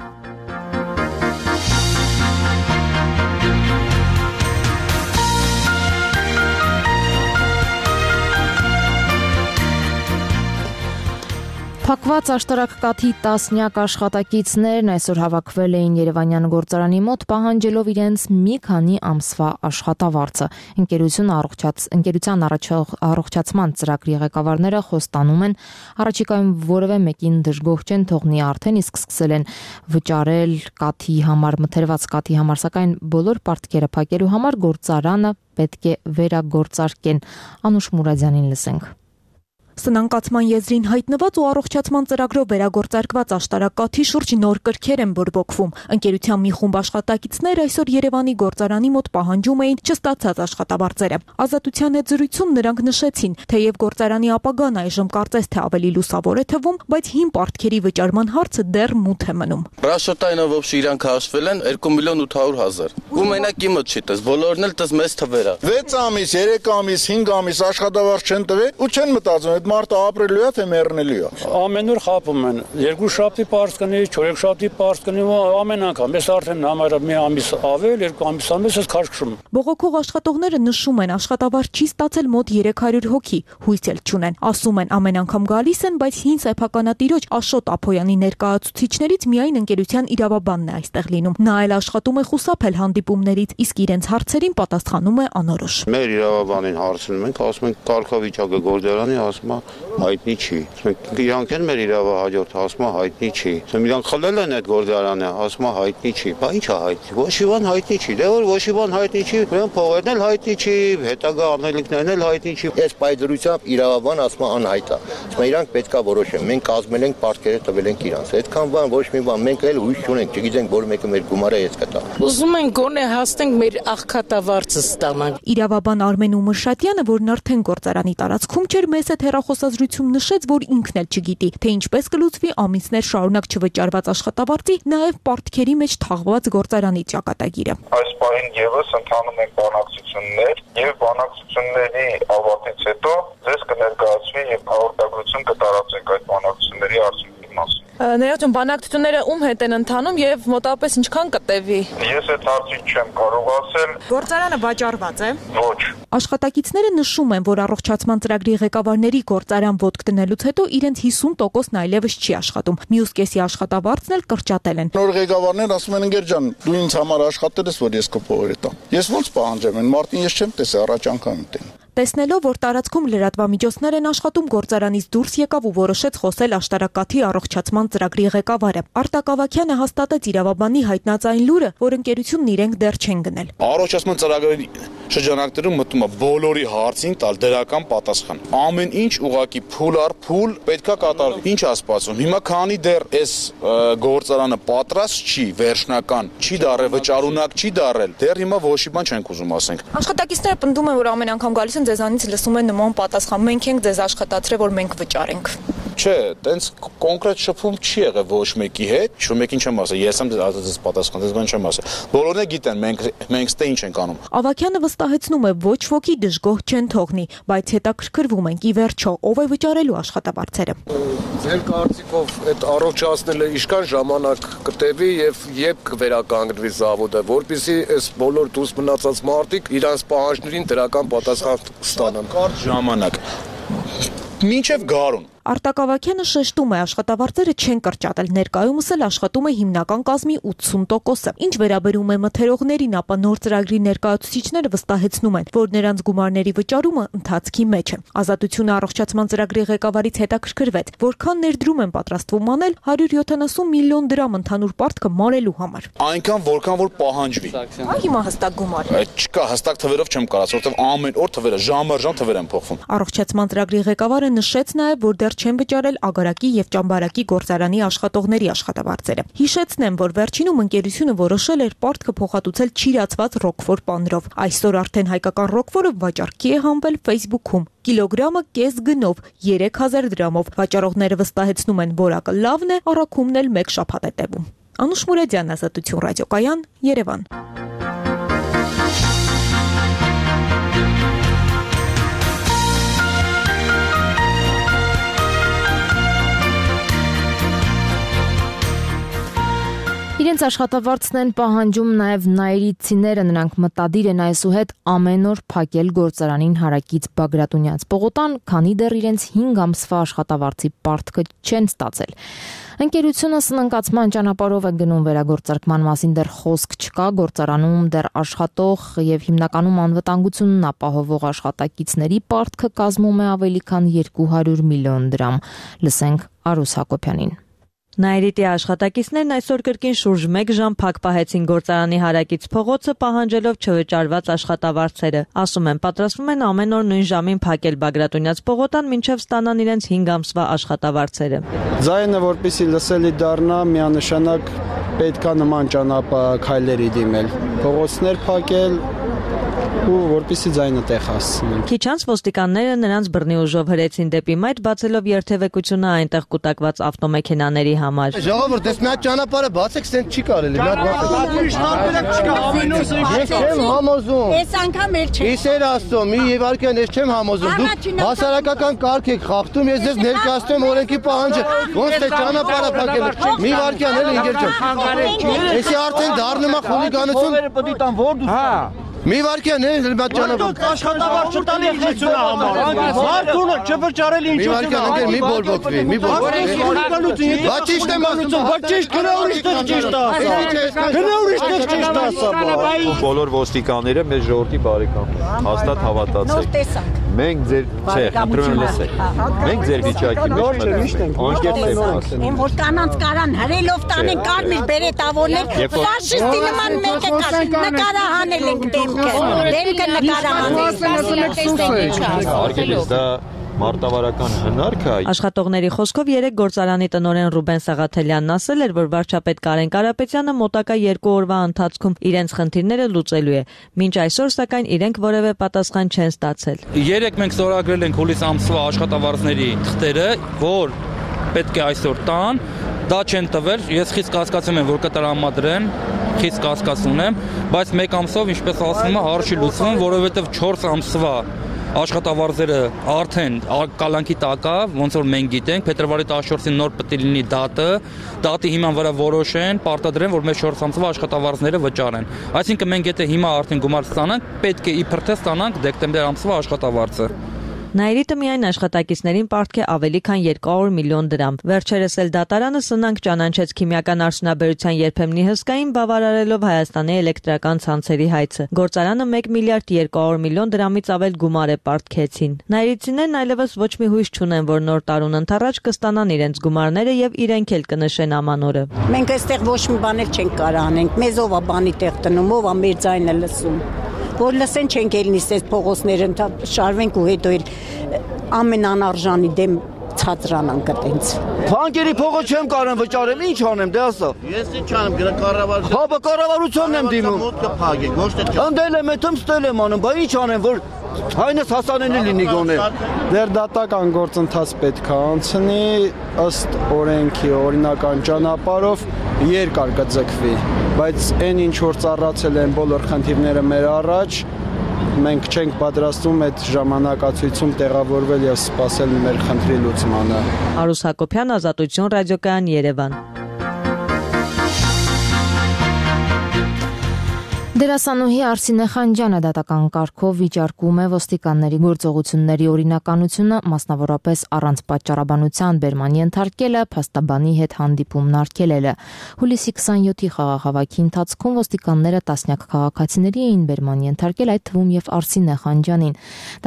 [SPEAKER 1] Փակված աշտարակ կաթի տասնյակ աշխատակիցներն այսօր հավաքվել էին Երևանյան գործարանի մոտ պահանջելով իրենց մի քանի ամսվա աշխատավարձը։ Ընկերության առողջացման ծրագրի ղեկավարները խոստանում են առաջիկայում որևէ մեկին դժգոհ չեն թողնի արդեն, իսկ սկսել են վճարել կաթի համար, մթերված կաթի համար, սակայն բոլոր պարտքերը փակելու համար գործարանը պետք է վերագործարկեն։ Անուշ Մուրադյանին լսենք։
[SPEAKER 2] Սնանկացման եզրին հայտնված ու առողջացման ծրագրով վերագործարկված աշտարակ կաթի շուրջ նոր կրքեր են բորբոքվում։ Ընկերության մի խումբ աշխատակիցներ այսօր Երևանի գործարանի մոտ պահանջում էին չստացած աշխատավարձերը։ Ազատության հետ զրույցում նրանք նշեցին, թեև գործարանի ապագան այժմ կարծես թե ավելի լուսավոր է թվում, բայց հին պարտքերի վճարման հարցը դեռ մութ է մնում։
[SPEAKER 22] Ռաշոտայինը ոբշի իրանք հաշվել են 2.8 միլիոն։ Ու մենակ իմը չի տես, բոլորն էլ տես մեծ թվեր է։
[SPEAKER 18] 6 ամիս, 3 ամիս, 5 ամիս աշխատավարձ չեն տվել ու չեն մտածում մարդը ապրելու է թե մեռնելու է։
[SPEAKER 23] Ամեն օր խափում են։ 2 շաբթի պարզ կնի, 4 շաբթի պարզ կնի, ամեն անգամ։ Ես արդեն համարը մի ամիս ավել, 2 ամիս ես քաշքշում։
[SPEAKER 2] Բողոքող աշխատողները նշում են, աշխատավարձ չի ստացել մոտ 300 հոգի, հույս էլ չունեն։ Ասում են, ամեն անգամ գալիս են, բայց հին սեփականատիրոջ Աշոտ Ափոյանի ներկայացուցիչներից միայն ընկերության իրավաբանն է այստեղ լինում։ Նա էլ աշխատում է խուսափել հանդիպումներից, իսկ իրենց հարցերին պատասխանում է անորոշ։
[SPEAKER 7] Մեր իրավաբանին հարցնում ենք, ասում են կարգավիճակը գործարանի, ասում հայտնի չի։ Իրանք են մեր իրավահաջորդ, ասում հայտնի չի։ Իրանք խլել են այդ գործարանը, ասում հայտնի չի։ Բա ի՞նչ է հայտնի։ Ոչ մի բան հայտնի չի։ Դե որ ոչ մի բան հայտնի չի, ուրեմն փողերն էլ հայտնի չի, հետագա անելիքներն էլ հայտնի չի։
[SPEAKER 24] Այս պայծրությամբ իրավաբան ասում անհայտ է։ Ասում իրանք պետքա որոշեն։ Մենք կազմել ենք պարտքերը տվել ենք իրանց։ Այդքան բան ոչ մի բան, մենք էլ հույս չունենք, չգիտենք որ մեկը մեր գումարը ես կտա։
[SPEAKER 25] Ուզում ենք գոնե հասնենք մեր աղքատավարձը ստանանք։
[SPEAKER 2] Իրավաբան Արմեն Ումրշատյանը, որն արդեն գործարանի տարածքում չէր, մեծ հետ հեռախոսազրույցում նշեց, որ ինքն էլ չգիտի, թե ինչպես կլուծվի ամիսներ շարունակ չվճարված աշխատավարձի, նաև պարտքերի մեջ թաղված գործարանի ճակատագիրը։
[SPEAKER 26] Այս պահին եւս ընթանում են բանակցություններ եւ բանակցությունների ավարտից հետո ձեզ կներկայացվի եւ հաղորդագրություն կտարածենք այդ բանակցությունների արդյունքների մասին։
[SPEAKER 2] Ներողություն, բանակցությունները ում հետ են ընթանում եւ մոտավորապես ինչքան կտևի։
[SPEAKER 26] Ես այդ հարցին չեմ կարող ասել։
[SPEAKER 2] Գործարանը վաճառված է։
[SPEAKER 26] Ոչ։
[SPEAKER 2] Աշխատակիցները նշում են, որ առողջացման ծրագրի ղեկավարների գործարան ոտք դնելուց հետո իրենց 50%-ն այլևս չի աշխատում։ Մյուս կեսի աշխատավարձն էլ կրճատել են։
[SPEAKER 18] Նոր ղեկավարներ ասում են ընկեր ջան, դու ինձ համար աշխատել ես, որ ես կփողերը տամ։ Ես ոնց պահանջեմ, այն մարտին ես չեմ տեսել, առաջ անգամ եմ։
[SPEAKER 2] Տեսնելով, որ տարածքում լրատվամիջոցներ են աշխատում, գործարանից դուրս եկավ ու որոշեց խոսել աշտարակաթի առողջացման ծրագրի ղեկավարը։ Արտակ Ավագյանը հաստատեց իրավաբանի հայտնած այն լուրը, որ ընկերությունն իրենք դեռ չեն գնել։
[SPEAKER 27] Առողջացման ծրագրերի շրջանակներում մտնում է բոլորի հարցին տալ դրական պատասխան։ Ամեն ինչ ուղակի փուլ առ փուլ պետքա կատարվի։ Ինչ է սպասում։ Հիմա քանի դեռ այս գործարանը պատրաստ չի, վերջնական չի դարել, վճարունակ չի դարել, դեռ հիմա ոչ մի բան չենք ուզում ասենք։
[SPEAKER 2] Աշխատակիցները պնդում են, որ ամեն անգամ գալիս են ձեզանից լսում են նման պատասխան։ Մենք ենք ձեզ աշխատացրել, որ մենք վճարենք։
[SPEAKER 27] Չէ, տենց կոնկրետ շփում չի եղել ոչ մեկի հետ, ոչ մեկին չեմ ասել, ես եմ դες պատասխան, դες բան չեմ ասել։ Բոլորն է գիտեն, մենք ստե ինչ ենք անում։
[SPEAKER 2] Ավագյանը վստահեցնում է, ոչ ոքի դժգոհ չեն թողնի, բայց հետաքրքրվում ենք ի վերջո ով է վճարելու աշխատավարձերը։
[SPEAKER 28] Ձեր կարծիքով այդ առողջացնելը ինչքան ժամանակ կտևի եւ երբ կվերականգնվի զավոդը, որպեսզի այս բոլոր դուրս մնացած մարդիկ իրանց պահանջներին դրական պատասխան ստանան։
[SPEAKER 27] Կարճ ժամանակ։ Մինչև գարուն։
[SPEAKER 2] Արտակ Ավագյանը շեշտում է, աշխատավարձերը չեն կրճատել, ներկայումս էլ աշխատում է հիմնական կազմի 80%-ը։ Ինչ վերաբերում է մթերողներին, ապա նոր ծրագրի ներկայացուցիչները վստահեցնում են, որ նրանց գումարների վճարումը ընթացքի մեջ է։ Ազատությունը առողջացման ծրագրի ղեկավարից հետաքրքրվեց, որքան ներդրում են պատրաստվում անել 170 միլիոն դրամ ընդհանուր պարտքը մարելու համար։
[SPEAKER 27] Այնքան որքան որ պահանջվի։
[SPEAKER 2] Հիմա հստակ գումար։
[SPEAKER 27] Չկա, հստակ թվերով չեմ կարծում, որովհետև ամեն օր թվերը ժամ-ժամ թվեր են փոխվում։
[SPEAKER 2] Առողջացման ծրագրի ղեկավարը նշեց նաև, որ դեռ չեն վճարել Ագարակի եւ Ճամբարակի գործարանի աշխատողների աշխատավարձերը։ Հիշեցնեմ, որ վերջինում ընկերությունը որոշել էր պարտքը փոխհատուցել չիրացված ռոկֆոր պանրով։ Այսօր արդեն հայկական ռոկֆորը վաճառքի է հանվել Facebook-ում։ Կիլոգրամը կես գնով 3000 դրամով։ Վաճառողները վստահեցնում են, որակը լավն է, առաքումն էլ 1 շաբաթ է տևում։ Անուշ Մուրադյան, Ազատություն ռադիոկայան, Երևան։
[SPEAKER 1] Իրենց աշխատավարձն են պահանջում նաև նայիրիցիները, նրանք մտադիր են այսուհետ ամեն օր փակել գործարանին հարակից Բագրատունյաց պողոտան, քանի դեռ իրենց 5 ամսվա աշխատավարձի պարտքը չեն ստացել։ Ընկերությունը սնանկացման ճանապարհով է գնում, վերագործարկման մասին դեռ խոսք չկա, գործարանում դեռ աշխատող եւ հիմնականում անվտանգությունն ապահովող աշխատակիցների պարտքը կազմում է ավելի քան 200 միլիոն դրամ։ Լսենք Արուս Հակոբյանին։
[SPEAKER 3] Նայիրիտի աշխատակիցներն այսօր կրկին շուրջ 1 ժամ փակ պահեցին գործարանի հարակից փողոցը, պահանջելով չվճարված աշխատավարձերը։ Ասում են, պատրաստվում են ամեն օր նույն ժամին փակել Բագրատունյաց պողոտան, մինչև ստանան իրենց 5 ամսվա աշխատավարձերը։
[SPEAKER 4] Ձայնը որպեսզի լսելի դառնա, միանշանակ պետքա նման ճանապարհքայլերի դիմել, փողոցներ փակել ու որպեսզի ձայնը տեղ հասցնեն։
[SPEAKER 3] Քիչ անց ոստիկանները նրանց բռնի ուժով հրեցին դեպի մայթ, բացելով երթևեկությունը այնտեղ կուտակված ավտոմեքենաների համար։
[SPEAKER 24] Ժողովուրդ, դες մի հատ ճանապարհը բացեք, սենց չի կարելի։ Ես չեմ համոզում։
[SPEAKER 5] Այս անգամ էլ չէ։
[SPEAKER 24] Իսեր Աստծո, մի եւ արքան ես չեմ համոզում։ Դուք հասարակական կարգ եք խախտում, ես ձեզ ներկայացնում օրենքի պահանջը։ Ոնց թե ճանապարհը փակել։ Մի վարքյան էլ ինգեր ջան։ Էսի արդեն դառնում է խուլիգանություն։
[SPEAKER 5] Պետք է տան որ դու։
[SPEAKER 24] Հա։ Մի վարքյան է, բաց ճանապարհ։
[SPEAKER 5] Աշխատավարձ չտալի իջեցունը համար։ Մարդունը չվճարել ինչ
[SPEAKER 24] մի վարքյան ընկեր մի բորբոքվի, մի բորբոքվի։ Բաց ճիշտ եմ ասում,
[SPEAKER 5] բաց ճիշտ գնա ուրիշ տեղ ճիշտ ասա։ Գնա ուրիշ տեղ ճիշտ ասա։
[SPEAKER 6] Բոլոր ոստիկանները մեր ժողովրդի բարեկամներ, հաստատ հավատացեք։ Մենք ձեր, չէ, խնդրում եմ լսեք։ Մենք ձեր վիճակի մեջ ենք։ Անկեղծ եմ ասում։
[SPEAKER 5] Են որ կանանց կարան հրելով տանեն կարմիր բերետավորներ, ֆաշիստի նման մեկը կար, նկարահանել ենք դեմքը
[SPEAKER 6] նկարահանել։ Դա մարտավարական հնարք է։
[SPEAKER 3] Աշխատողների խոսքով 3 գործարանի տնօրեն Ռուբեն Սաղաթելյանն ասել էր, որ վարչապետ Կարեն Կարապետյանը մոտակա 2 օրվա ընթացքում իրենց խնդիրները լուծելու է։ Մինչ այսօր սակայն իրենք որևէ պատասխան չեն ստացել։
[SPEAKER 23] 3 մենք ստորագրել ենք հուլիս ամսվա աշխատավարձների թղթերը, որ պետք է այսօր տան, դա չեն տվել, ես խիստ կասկածում եմ, որ կտրամադրեն, խիստ կասկածում եմ, բայց 1 ամսով, ինչպես ասում եմ, հարց չի լուծվում, որովհետև 4 ամսվա աշխատավարձերը արդեն կալանքի տակ է, ոնց որ մենք գիտենք, փետրվարի 14-ին նոր պետք է լինի դատի հիման վրա որոշեն, պարտադրեն, որ մեր 4 ամսվա աշխատավարձները վճարեն։ Այսինքն մենք եթե հիմա արդեն գումար ստանանք, պետք է իբր թե ստանանք դեկտեմբեր ամսվա աշխատավարձը։
[SPEAKER 3] Նայիրիտը միայն աշխատակիցներին պարտք է ավելի քան 200 միլիոն դրամ։ Վերջերս էլ դատարանը սնանկ ճանաչեց քիմիական արդյունաբերության երբեմնի հսկային բավարարելով Հայաստանի էլեկտրական ցանցերի հայցը։ Գործարանը 1 միլիարդ 200 միլիոն դրամից ավել գումար է պարտքեցին։ Նայիրիցիներն այլևս ոչ մի հույս չունեն, որ նոր տարուն ընթառաջ կստանան իրենց գումարները եւ իրենք էլ կնշեն ամանորը։
[SPEAKER 5] Մենք այստեղ ոչ մի բան էլ չենք կարող անենք։ Մեզով է բանի տեղ տնում, ով է մեր ձայնը լսում։ Որ լսեն չենք էլ նիսես փողոցները շարվենք ու հետո էլ ամեն անարժանի դեմ ցածրանանք այտենց։
[SPEAKER 24] Բանկերի փողոց չեմ կարող վճարեմ, ինչ անեմ, դե ասա։ Ես ինչ անեմ, կառավարություն։ Հա, կառավարությունն եմ դիմում։ Մոտքը փագեք, ոչ թե։ Ընդել եմ, հետո ստել եմ անում, բա ինչ անեմ, որ հայնս հասանելի լինի գոնե։
[SPEAKER 4] Դեռ դատական գործընթաց պետք է անցնի ըստ օրենքի օրինական ճանապարհով երկար կձգվի, բայց այն ինչ որ ծառացել են բոլոր խնդիրները մեր առաջ, մենք չենք պատրաստվում այդ ժամանակացույցում տեղավորվել եւ սպասել մեր խնդրի լուծմանը։
[SPEAKER 3] Արուս Հակոբյան, Ազատություն, ռադիոկայան, Երևան։
[SPEAKER 1] Դերասանուհի Արսինե Խանջյանը դատական կարգով վիճարկում է ոստիկանների գործողությունների օրինականությունը, մասնավորապես առանց պատճառաբանության բերման ենթարկելը, փաստաբանի հետ հանդիպումն արգելելը։ Հուլիսի 27-ի խաղաղավակի ընթացքում ոստիկանները տասնյակ քաղաքացիների էին բերման ենթարկել, այդ թվում եւ Արսինե Խանջյանին։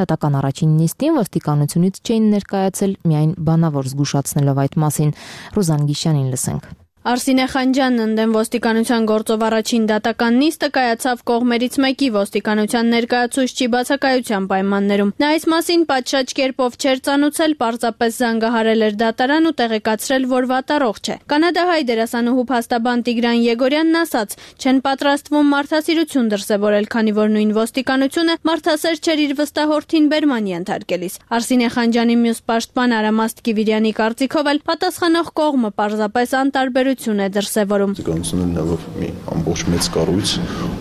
[SPEAKER 1] Դատական առաջին նիստին ոստիկանությունից չէին ներկայացել, միայն բանավոր զգուշացնելով այդ մասին։ Ռուզան Գիշյանին լսենք։
[SPEAKER 14] Արսինե Խանջյանն ընդդեմ ոստիկանության գործով առաջին դատական նիստը կայացավ կողմերից մեկի ոստիկանության ներկայացուցչի բացակայության պայմաններում։ Նա այս մասին պատշաճ կերպով չէր ծանուցել, պարզապես զանգահարել էր դատարան ու տեղեկացրել, որ վատառողջ է։ Կանադահայ դերասանուհու փաստաբան Տիգրան Եգորյանն ասաց, չեն պատրաստվում մարդասիրություն դրսևորել, քանի որ նույն ոստիկանությունը մարդասեր չէր իր վստահորդին բերման ենթարկելիս։ Արսինե Խանջյանի մյուս պաշտպան Արամաստ Կիվիրյանի կարծիքով էլ պատասխանող կողմը պարզապես անտարբեր է դրսևորում։
[SPEAKER 8] Ոստիկանությունն ունենալով մի ամբողջ մեծ կառույց,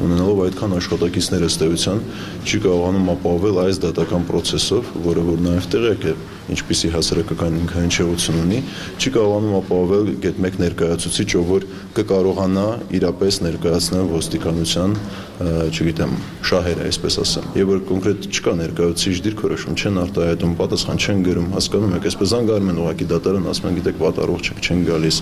[SPEAKER 8] ունենալով այդքան աշխատակիցներ ըստ էության, չի կարողանում ապահովել այս դատական process-ով, որը որ նաև տեղյակ է ինչպիսի հասարակական ինքնահնչեղություն ունի, չի կարողանում ապահովել գետ մեկ ներկայացուցիչ, ով որ կկարողանա իրապես ներկայացնել ոստիկանության, չգիտեմ, շահերը, այսպես ասեմ։ Եվ որ կոնկրետ չկա ներկայացուցիչ դիրքորոշում, չեն արտահայտում, պատասխան չեն գրում, հասկանում եք, այսպես զանգարում են ուղղակի դատարան, ասում են, գիտեք, պատառող չեն գալիս։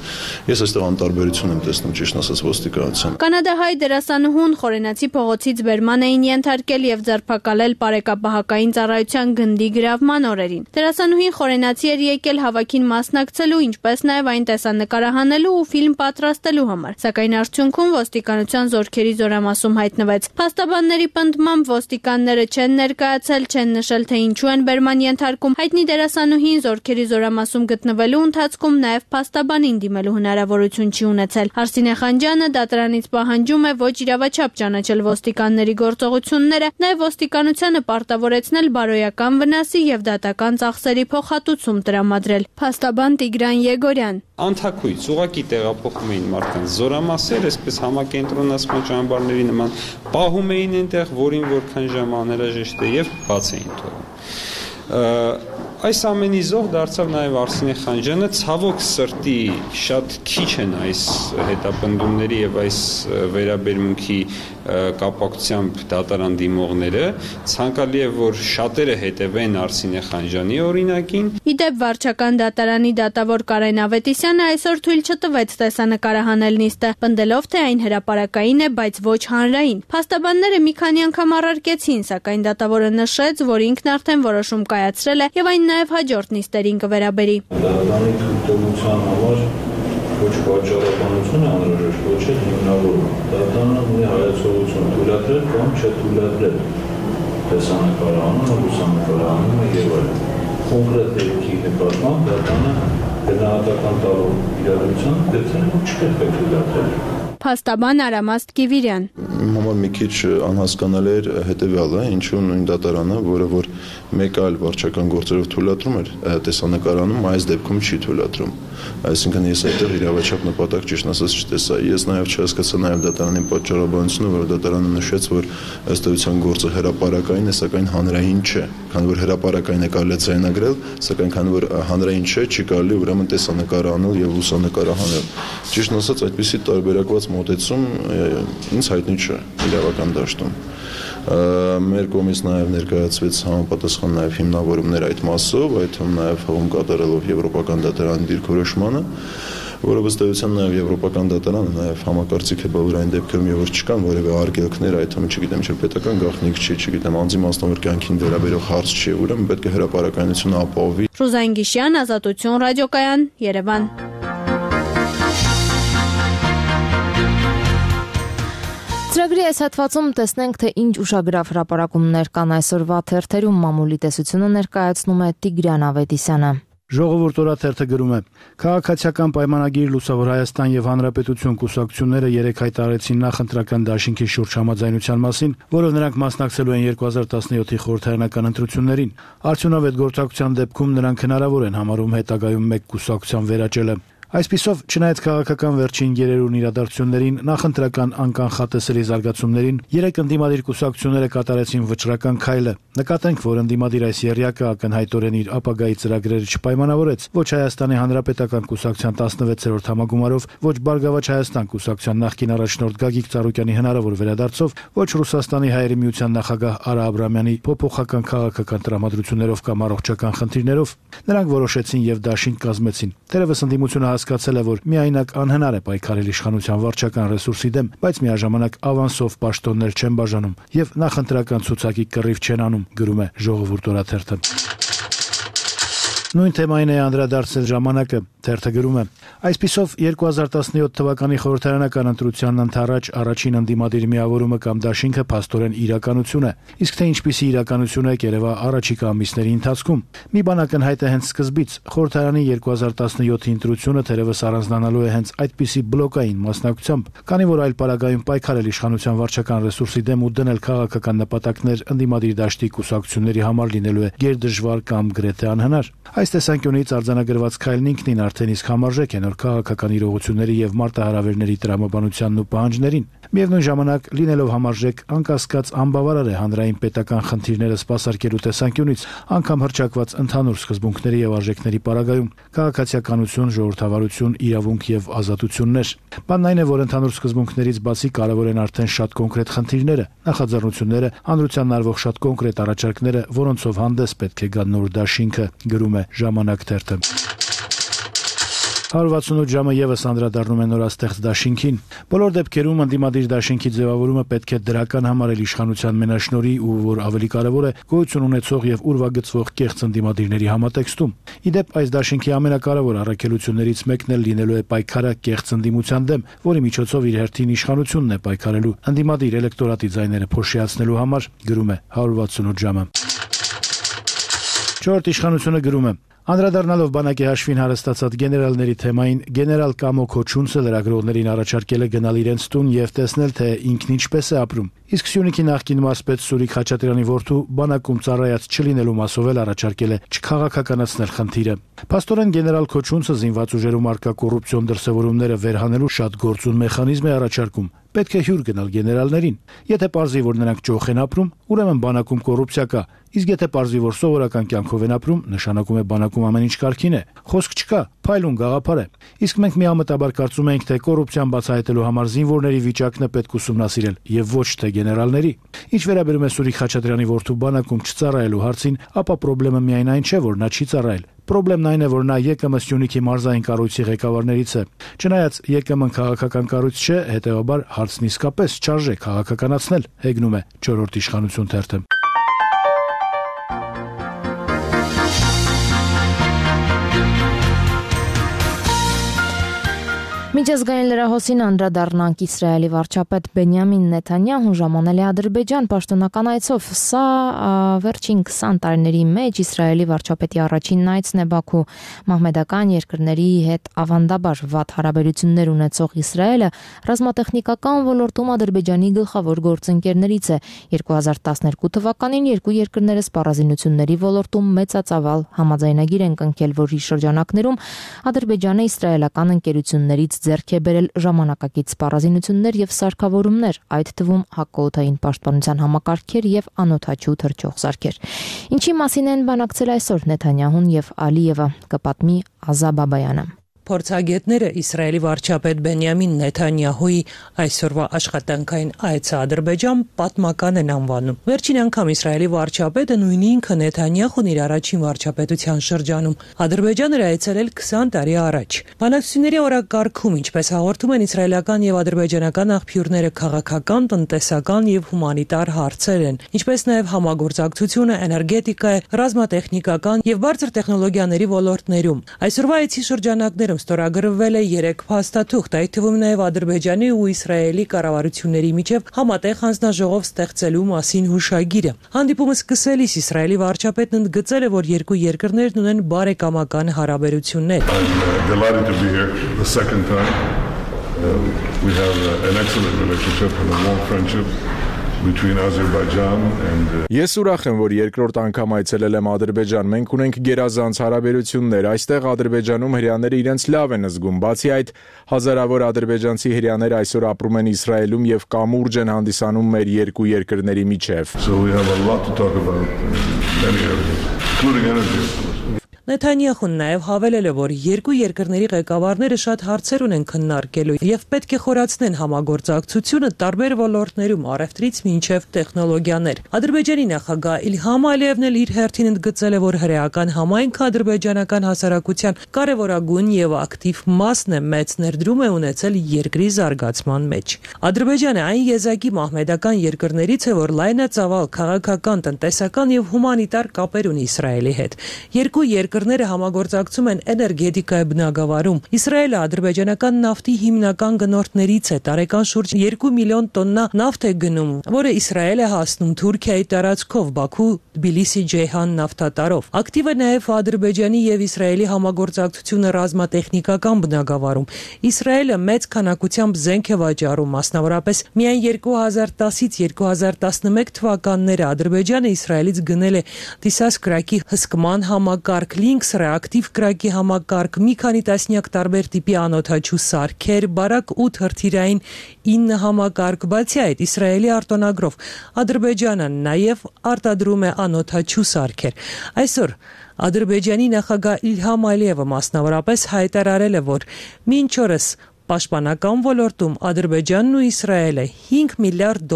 [SPEAKER 8] Ես այստեղ անտարբերություն եմ տեսնում, ճիշտ ասած, ոստիկանության։
[SPEAKER 9] Կանադահայ դերասանուհուն Խորենացի փողոցից բերման էին ենթարկել եւ ձերբակալել Պարեկապահակային ծառայության գնդի գրավման օրերին։ Դերասանուհին Խորենացի էր եկել հավաքին մասնակցելու, ինչպես նաեւ այն տեսանկարահանելու ու ֆիլմ պատրաստելու համար, սակայն արդյունքում ոստիկանության զորքերի զորամասում հայտնվեց։ Փաստաբանների պնդմամբ ոստիկանները չեն ներկայացել, չեն նշել, թե ինչու են բերման ենթարկում։ Հայտնի դերասանուհին զորքերի զորամասում գտնվելու ընթացքում նաեւ փաստաբանին դիմելու հնարավորություն չի ունեցել։ Արսինե Խանջյանը դատարանից պահանջում է ոչ իրավաչափ ճանաչել ոստիկանների գործողությունները, նաեւ ոստիկանությանը պարտավորեցնել բարոյական վնասի եւ դատական ծախսերի փոխհատուցում տրամադրել։ Փաստաբան Տիգրան Եգորյան.
[SPEAKER 10] Անթակույց ուղղակի տեղափոխում էին մարդկանց զորամասեր, այսպես համակենտրոնացման ճամբարների նման, պահում էին այնտեղ, որին որքան ժամ անհրաժեշտ է եւ բաց էին թողում։ Այս ամենի զոհ դարձավ նաև Արսինե Խանջյանը, ցավոք սրտի շատ քիչ են այս հետապնդումների եւ այս վերաբերմունքի կապակցությամբ դատարան դիմողները, ցանկալի է որ շատերը հետևեն Արսինե Խանջյանի օրինակին։
[SPEAKER 9] Իդեպ վարչական դատարանի դատավոր Կարեն Ավետիսյանը այսօր թույլ չտվեց տեսանկարահանել նիստը, պնդելով թե այն հրապարակային է, բայց ոչ հանրային։ Փաստաբանները մի քանի անգամ առարկեցին, սակայն դատավորը նշեց, որ ինքն արդեն որոշում կայացրել է եւ այն նաև հաջորդ նիստերին կվերաբերի։
[SPEAKER 11] Դատարանի թույլտվության համար ոչ պատճառաբանություն անհրաժեշտ, ոչ էլ հիմնավորում։ Դատարանը ունի հայացողություն թույլատրել կամ չթույլատրել տեսանկարահանումը, լուսանկարահանումը եւ այլն։ Կոնկրետ դեպքի նկատմամբ դատարանը գնահատական տալու իրադրության դեպքերն չպետք է թույլատրել։
[SPEAKER 9] Փաստաբան Արամաստ Կիվիրյան.
[SPEAKER 8] Իմ համար մի քիչ անհասկանալի էր հետեւյալը, ինչու նույն դատարանը, որը որ մեկ այլ վարչական գործերով թույլատրում էր տեսանկարանում, այս դեպքում չի թույլատրում։ Այսինքն ես այդտեղ իրավաչափ նպատակ ճիշտ ասած չտեսա։ Ես նաև չհասկացա նաև դատարանի պատճառաբանությունը, որ դատարանը նշեց, որ ըստ էության գործը հրապարակային է, սակայն հանրային չէ։ Քանի որ հրապարակային է կարելի ձայնագրել, սակայն քանի որ հանրային չէ, չի կարելի ուրեմն տեսանկարահանել եւ լուսանկարահանել։ Ճիշտ ասած, այդպիսի տարբերակված մոտեցում ինձ հայտնի չէ իրավական դաշտում։ Մեր կողմից նաև ներկայացվեց համապատասխան նաև հիմնավորումներ այդ մասով, այդ թվում նաև հողում կատարելով Եվրոպական դատարանի դիրքորոշմանը, որը ըստ էության նաև Եվրոպական դատարանը նաև համակարծիք է բոլոր այն դեպքերում, երբ չկան որևէ արգելքներ, այդ թվում չգիտեմ, չէ պետական գաղտնիք չի, չգիտեմ, անձի մասնավոր կյանքին վերաբերող հարց չի, ուրեմն պետք է հրապարակայնությունը ապահովի։
[SPEAKER 9] Ռուզան Գիշյան, Ազատություն ռադիոկայան, Երևան։
[SPEAKER 1] Ծրագրի այս հատվածում տեսնենք, թե ինչ ուշագրավ հրապարակումներ կան այսօրվա թերթերում, մամուլի տեսությունը ներկայացնում է Տիգրան Ավետիսյանը։
[SPEAKER 12] Ժողովուրդ օրաթերթը գրում է. Քաղաքացիական պայմանագիր Լուսավոր Հայաստան եւ Հանրապետություն կուսակցությունները երեկ հայտարարեցին նախընտրական դաշինքի շուրջ համաձայնության մասին, որով նրանք մասնակցելու են 2017-ի խորհրդարանական ընտրություններին։ Արդյունավետ գործակցության դեպքում նրանք հնարավոր են համարում հետագայում մեկ կուսակցության վերաճելը։ Այսպիսով, չնայած քաղաքական վերջին գերերուն իրադարձություններին, նախընտրական անկանխատեսելի զարգացումներին, երեք ընդդիմադիր կուսակցությունները կատարեցին վճռական քայլը։ Նկատենք, որ ընդդիմադիր այս եռյակը ակնհայտորեն իր ապագայի ծրագրերը չպայմանավորեց ոչ Հայաստանի Հանրապետական կուսակցության 16-րդ համագումարով, ոչ Բարգավաճ Հայաստան կուսակցության նախկին առաջնորդ Գագիկ Ծառուկյանի հնարավոր վերադարձով, ոչ Ռուսաստանի Հայերի միության նախագահ Արա Աբրամյանի փոփոխական քաղաքական տրամադրություններով կամ առողջական խնդիրներով։ Նրանք որոշեցին եւ դաշինք կազմեցին։ Թերևս ընդդիմությունը հասկացել է, որ միայնակ անհնար է պայքարել իշխանության վարչական ռեսուրսի դեմ, բայց միաժամանակ ավանսով պաշտոններ չեն բաժանում եւ նախընտրական ցուցակի կռիվ չեն անում, գրում է Ժողովուրդ օրաթերթը։ Նույն թեմային է անդրադարձել ժամանակը, թերթը գրում է. Այսպիսով 2017 թվականի խորհրդարանական ընտրությանն ընդառաջ առաջին ընդդիմադիր միավորումը կամ դաշինքը փաստորեն իրականություն է, իսկ թե ինչպիսի իրականություն է կերևա առաջիկա ամիսների ընթացքում։ Մի բան ակնհայտ է հենց սկզբից, խորհրդարանի 2017-ի ընտրությունը թերևս առանձնանալու է հենց այդպիսի բլոկային մասնակցությամբ, քանի որ այլ պարագայում պայքարել իշխանության վարչական ռեսուրսի դեմ ու դնել քաղաքական նպատակներ ընդդիմադիր դաշտի կուսակցությունների համար լինելու է գերդժվար կամ գրեթե անհնար։ Այս տեսանկյունից արձանագրված քայլն ինքնին արդեն իսկ համարժեք է նոր քաղաքական իրողությունների եւ մարտահրավերների տրամաբանությանն ու պահանջներին։ Միևնույն ժամանակ լինելով համարժեք անկասկած անբավարար է հանրային պետական խնդիրները սպասարկելու տեսանկյունից, անգամ հռչակված ընդհանուր սկզբունքների եւ արժեքների պարագայում, քաղաքացիականություն, ժողովրդավարություն, իրավունք եւ ազատություններ։ Բանն այն է, որ ընդհանուր սկզբունքներից բացի կարևոր են արդեն շատ կոնկրետ խնդիրները, նախաձեռնությունները, հանրությանն արվող շատ կոնկրետ առաջարկները, որոնցով հանդես պետք է գա նոր դաշինքը, գրում է Ժամանակ թերթը։ 168 ժամը եւս անդրադառնում է նորաստեղծ դաշինքին։ Բոլոր դեպքերում ընդդիմադիր դաշինքի ձևավորումը պետք է դրական համարել իշխանության մենաշնորհի ու որ ավելի կարևոր է գոյություն ունեցող եւ ուրվագծվող կեղծ ընդդիմադիրների համատեքստում։ Իդեպ այս դաշինքի ամենակարևոր առաքելություններից մեկն էլ լինելու է պայքարը կեղծ ընդդիմության դեմ, որի միջոցով իր հերթին իշխանությունն է պայքարելու ընդդիմադիր էլեկտորատի ձայները փոշիացնելու համար, գրում է 168 ժամը։ Չորրորդ իշխանությունը գրում է. Անդրադառնալով բանակի հաշվին հարստացած գեներալների թեմային, գեներալ Կամո Քոչունցը լրագրողներին առաջարկել է գնալ իրենց տուն եւ տեսնել, թե ինքն ինչպես է ապրում։ Իսկ Սյունիքի նախկին մարզպետ Սուրիկ Խաչատրյանի որդու բանակում ծառայած չլինելու մասով էլ առաջարկել է չքաղաքականացնել խնդիրը։ Փաստորեն գեներալ Քոչունցը զինված ուժերում արկա կոռուպցիոն դրսևորումները վերհանելու շատ գործուն մեխանիզմ է առաջարկում։ Պետք է հյուր գնալ գեներալներին։ Եթե պարզվի, որ նրանք ճոխ են ապրում, ուրեմն բանակում կոռուպցիա կա։ Իսկ եթե պարզվի, որ սովորական կյանքով են ապրում, նշանակում է բանակում ամեն ինչ կարգին է։ Խոսք չկա, փայլուն գաղափար է։ Իսկ մենք միամտաբար կարծում ենք, թե կոռուպցիան բացահայտելու համար զինվորների վիճակն է պետք ուսումնասիրել եւ ոչ թե գեներալների։ Ինչ վերաբերում է Սուրիկ Խաչատրյանի որդու բանակում չծառայելու հարցին, ապա խնդրեմը միայն այն չէ, որ նա չի ծառայել։ Պրոբլեմն այն է, որ նա ԵԿՄ Սյունիքի մարզային կառույցի ղեկավարներից է։ Չնայած ԵԿՄ-ն քաղաքական կառույց չէ, հետեւաբար հարցն իսկապես չարժե քաղաքականացնել, հեգնում է չորրորդ իշխանություն թերթը։
[SPEAKER 1] Միջազգային լրահոսին անդրադառնանք Իսրայելի վարչապետ Բենյամին Նեթանյահուն ժամանել է Ադրբեջան պաշտոնական այցով։ Սա վերջին 20 տարիների մեջ Իսրայելի վարչապետի առաջին այցն է Բաքու։ Մահմեդական երկրների հետ ավանդաբար վատ հարաբերություններ ունեցող Իսրայելը ռազմատեխնիկական ոլորտում Ադրբեջանի գլխավոր գործընկերներից է։ 2012 թվականին երկու երկրները սպառազինությունների ոլորտում մեծածավալ համաձայնագիր են կնքել, որի շրջանակներում Ադրբեջանը իսրայելական ընկերություններից ձեռք է բերել ժամանակակից սպառազինություններ եւ սարքավորումներ, այդ թվում հակօդային պաշտպանության համակարգեր եւ անօդաչու թռչող սարքեր։ Ինչի մասին են բանակցել այսօր Նեթանյահուն եւ Ալիևը, կպատմի Ազա Բաբայանը։
[SPEAKER 13] Փորձագետները Իսրայելի վարչապետ Բենյամին Նեթանյահուի այսօրվա աշխատանքային այցը Ադրբեջան պատմական են անվանում։ Վերջին անգամ Իսրայելի վարչապետը նույն ինքը Նեթանյահուն իր առաջին վարչապետության շրջանում Ադրբեջան էր այցելել 20 տարի առաջ։ Բանակցությունների օրակարգում, ինչպես հաղորդում են իսրայելական եւ ադրբեջանական աղբյուրները, քաղաքական, տնտեսական եւ հումանիտար հարցեր են, ինչպես նաեւ համագործակցությունը էներգետիկա, ռազմատեխնիկական եւ բարձր տեխնոլոգիաների ոլորտներում։ Այսօրվա այցի շրջանակներում ստորագրվել է 3 փաստաթուղթ, այդ թվում նաև Ադրբեջանի ու Իսրայելի կառավարությունների միջև համատեղ հանձնաժողով ստեղծելու մասին հուշագիրը։ Հանդիպումը սկսելիս Իսրայելի վարչապետն ընդգծել է, որ երկու երկրներն ունեն բարեկամական հարաբերություններ։
[SPEAKER 15] We have an excellent relationship and a warm friendship between Azerbaijan and
[SPEAKER 16] Ես ուրախ եմ, որ երկրորդ անգամ այցելել եմ Ադրբեջան։ Մենք ունենք գերազանց հարաբերություններ։ Այստեղ Ադրբեջանում հրեաները իրենց լավ են զգում։ Բացի այդ, հազարավոր ադրբեջանցի հրեաներ այսօր ապրում են Իսրայելում եւ կամուրջ են հանդիսանում մեր երկու երկրների միջև։
[SPEAKER 15] So we have a lot to talk about many areas, including energy.
[SPEAKER 13] Նեթանյահուն նաև հավելել է, որ երկու երկրների ղեկավարները շատ հարցեր ունեն քննարկելու եւ պետք է խորացնեն համագործակցությունը տարբեր ոլորտներում, առևտրից մինչև տեխնոլոգիաներ։ Ադրբեջանի նախագահ Իլհամ Ալիևն էլ իր հերթին ընդգծել է, որ հրեական համայնքը ադրբեջանական հասարակության կարևորագույն եւ ակտիվ մասն է, մեծ ներդրում է ունեցել երկրի զարգացման մեջ։ Ադրբեջանը այն եզակի մահմեդական երկրներից է, որ լայնածավալ քաղաքական, տնտեսական եւ հումանիտար կապեր ունի Իսրայելի հետ։ Երկու երկրները համագործակցում են էներգետիկայի բնագավառում։ Իսրայելը ադրբեջանական նավթի հիմնական գնորդներից է, տարեկան շուրջ 2 միլիոն տոննա նավթ է գնում, որը Իսրայել է հասնում Թուրքիայի տարածքով Բաքու, Թբիլիսի, Ջեյհան նավթատարով։ Ակտիվ է նաև Ադրբեջանի եւ Իսրայելի համագործակցությունը ռազմատեխնիկական բնագավառում։ Իսրայելը մեծ քանակությամբ զենք է վաճառում, մասնավորապես միայն 2010-ից 2011 թվականները Ադրբեջանը Իսրայելից գնել է դիսասկրակի հսկման համակարգ, Rings ռեակտիվ կրակի համակարգ, մի քանի տասնյակ տարբեր տիպի անօդաչու սարքեր, բարակ 8 հրթիռային 9 համակարգ, բացի այդ Իսրայելի արտոնագրով Ադրբեջանը նաև արտադրում է անօդաչու սարքեր։ Այսօր Ադրբեջանի նախագահ Իլհամ Ալիևը մասնավորապես հայտարարել է, որ մինչ օրս պաշտպանական ոլորտում Ադրբեջանն ու Իսրայելը $5 միլիարդ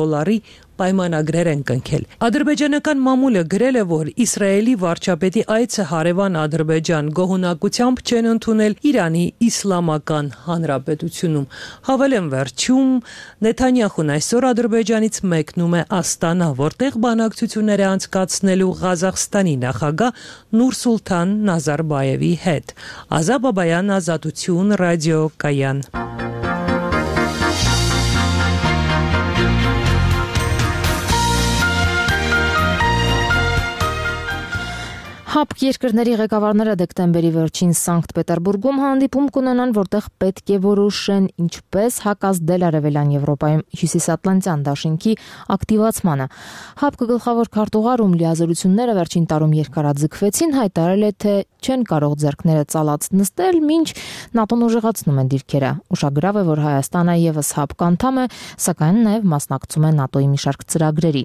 [SPEAKER 13] պայմանագրեր են կնքել։ Ադրբեջանական մամուլը գրել է, որ Իսրայելի վարչապետի այցը հարևան Ադրբեջան գոհունակությամբ չեն ընդունել Իրանի Իսլամական Հանրապետությունում։ Հավելեմ վերջում Նեթանյախուն այսօր Ադրբեջանից մեկնում է Աստանա, որտեղ բանակցություններ է անցկացնելու Ղազախստանի նախագահ Նուրսուլթան Նազարբայևի հետ։ Ազատ Բաբայան, Ազատություն, ռադիոկայան։
[SPEAKER 1] ՀԱՊԿ երկրների ղեկավարները դեկտեմբերի վերջին Սանկտ Պետերբուրգում հանդիպում կունենան, որտեղ պետք է որոշեն ինչպես հակազդել Արևելյան Եվրոպայում Հյուսիսատլանտյան դաշինքի ակտիվացմանը։ ՀԱՊԿ գլխավոր քարտուղարում լիազորությունները վերջին տարում երկարաձգվեցին, հայտարարել է, թե չեն կարող ձեռքները ծալած նստել, մինչ ՆԱՏՕ-ն ուժեղացնում են դիրքերը։ Ուշագրավ է, որ Հայաստանը եւս ՀԱՊԿ անդամ է, սակայն նաեւ մասնակցում է ՆԱՏՕ-ի մի շարք ծրագրերի։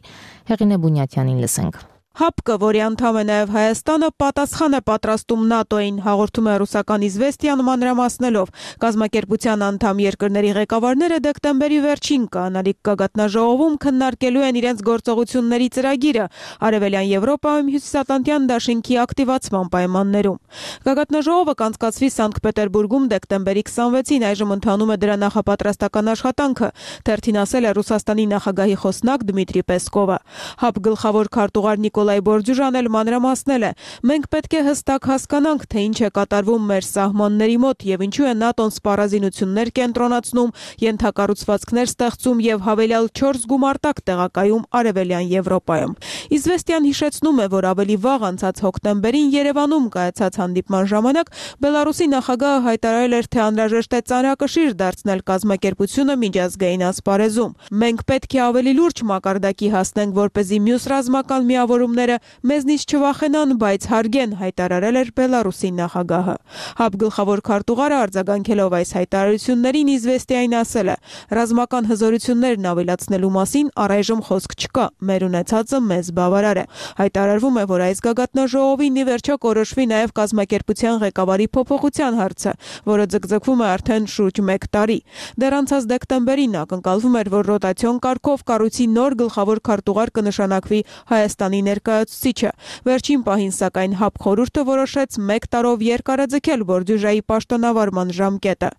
[SPEAKER 1] Հեղինե Բունյաթյանին լսենք։
[SPEAKER 2] ՀԱՊԿ, որի անդամ է նաև Հայաստանը, պատասխան է պատրաստում ՆԱՏՕ-ին, հաղորդում է ռուսական Իզվեստիան մանրամասնելով։ Կազմակերպության անդամ երկրների ղեկավարները դեկտեմբերի վերջին կանալիք գագաթնաժողովում քննարկելու են իրենց գործողությունների ծրագիրը Արևելյան Եվրոպայում Հյուսիսատլանտյան դաշինքի ակտիվացման պայմաններում։ Գագաթնաժողովը կանցկացվի Սանկտ Պետերբուրգում դեկտեմբերի 26-ին, այժմ ընթանում է դրա նախապատրաստական աշխատանքը, թերթին ասել է Ռուսաստանի նախագահի խոսնակ Դմիտրի Պեսկովը։ ՀԱՊԿ գլխավոր քարտուղար Նիկոլայ Բորջուժան էլ մանրամասնել է. մենք պետք է հստակ հասկանանք, թե ինչ է կատարվում մեր սահմանների մոտ եւ ինչու է ՆԱՏՕ-ն սպառազինություններ կենտրոնացնում, ենթակառուցվածքներ ստեղծում եւ հավելյալ 4 գումարտակ տեղակայում Արևելյան Եվրոպայում։ Իզվեստիան հիշեցնում է, որ ավելի վաղ անցած հոկտեմբերին Երևանում կայացած հանդիպման ժամանակ Բելարուսի նախագահը հայտարարել էր, թե անհրաժեշտ է ծանրակշիռ դարձնել կազմակերպությունը միջազգային ասպարեզում։ Մենք պետք է ավելի լուրջ մակարդակի հասնենք, որպեսզի մյուս ռազմական միավորումները մեզնից չվախենան, բայց հարգեն, հայտարարել էր Բելարուսի նախագահը։ ՀԱՊԿ գլխավոր քարտուղարը արձագանքելով այս հայտարարություններին Իզվեստիային ասել է. ռազմական հզորություններն ավելացնելու մասին առայժմ խոսք չկա, մեր ունեցածը մեզ բավարար է։ Հայտարարվում է, որ այս գագաթնաժողովին ի վերջո կորոշվի նաև կազմակերպության ղեկավարի փոփոխության հարցը, որը ձգձգվում է արդեն շուրջ 1 տարի։ Դեռ անցած դեկտեմբերին ակնկալվում էր, որ ռոտացիոն կարգով կառույցի նոր գլխավոր քարտուղար կնշանակվի Հայաստանի ներկայացուցիչը։ Վերջին պահին, սակայն, ՀԱՊԿ խորհուրդը որոշեց 1 տարով երկարաձգել Բորջուժայի պաշտոնավարման ժամկետը։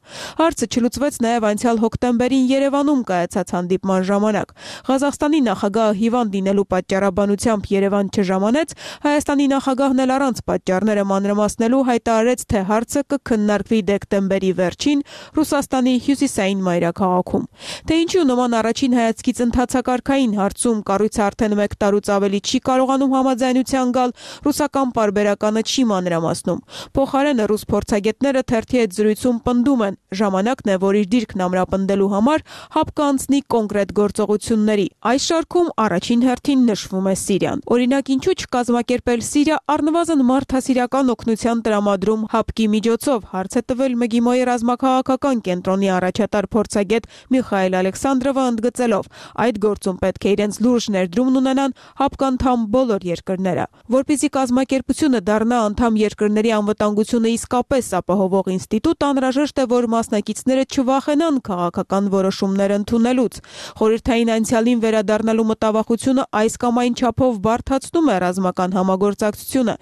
[SPEAKER 2] Հարցը չլուծվեց նաև անցյալ հոկտեմբերին Երևանում կայացած հանդիպման ժամանակ։ Ղազախստանի նախագահը հիվանդ լինելու պատճառաբանությամբ Երևան չժամանեց, Հայաստանի նախագահն էլ առանց պատճառները մանրամասնելու հայտարարեց, թե հարցը կքննարկվի դեկտեմբերի վերջին Ռուսաստանի հյուսիսային մայրաքաղաքում։ Թե ինչու նման առաջին հայացքից ընթացակարգային հարցում կառույցը արդեն 1 տարուց ավելի չի կարողանում համաձայնության գալ, ռուսական պարբերականը չի մանրամասնում։ Փոխարենը ռուս փորձագետները թերթի հետ զրույցում պնդում են, ժամանակն է, որ իր դիրքն ամրապնդելու համար ՀԱՊԿ անցնի կոնկրետ գործողությունների։ Այս շարքում առաջին հերթին նշվում է Սիրիան։ Օրինակ, ինչու չկազմակերպել Սիրիա առնվազն մարդասիրական օգնության տրամադրում ՀԱՊԿ-ի միջոցով, հարց է տվել ՄԳԻՄՈ-ի ռազմաքաղաքական կենտրոնի առաջատար փորձագետ Միխայել Ալեքսանդրովը, ընդգծելով, այդ գործում պետք է իրենց լուրջ ներդրումն ունենան ՀԱՊԿ անդամ բոլոր երկրները։ Որպեսզի կազմակերպությունը դառնա անդամ երկրների անվտանգությունը իսկապես ապահովող ինստիտուտ, անհրաժեշտ է, որ մասնակիցները չվախենան քաղաքական որոշումներ ընդունելուց։ Խորհրդային անցյալին վերադառնալու մտավախությունը այս կամ այն չափով բարդացնում է ռազմական համագործակցությունը։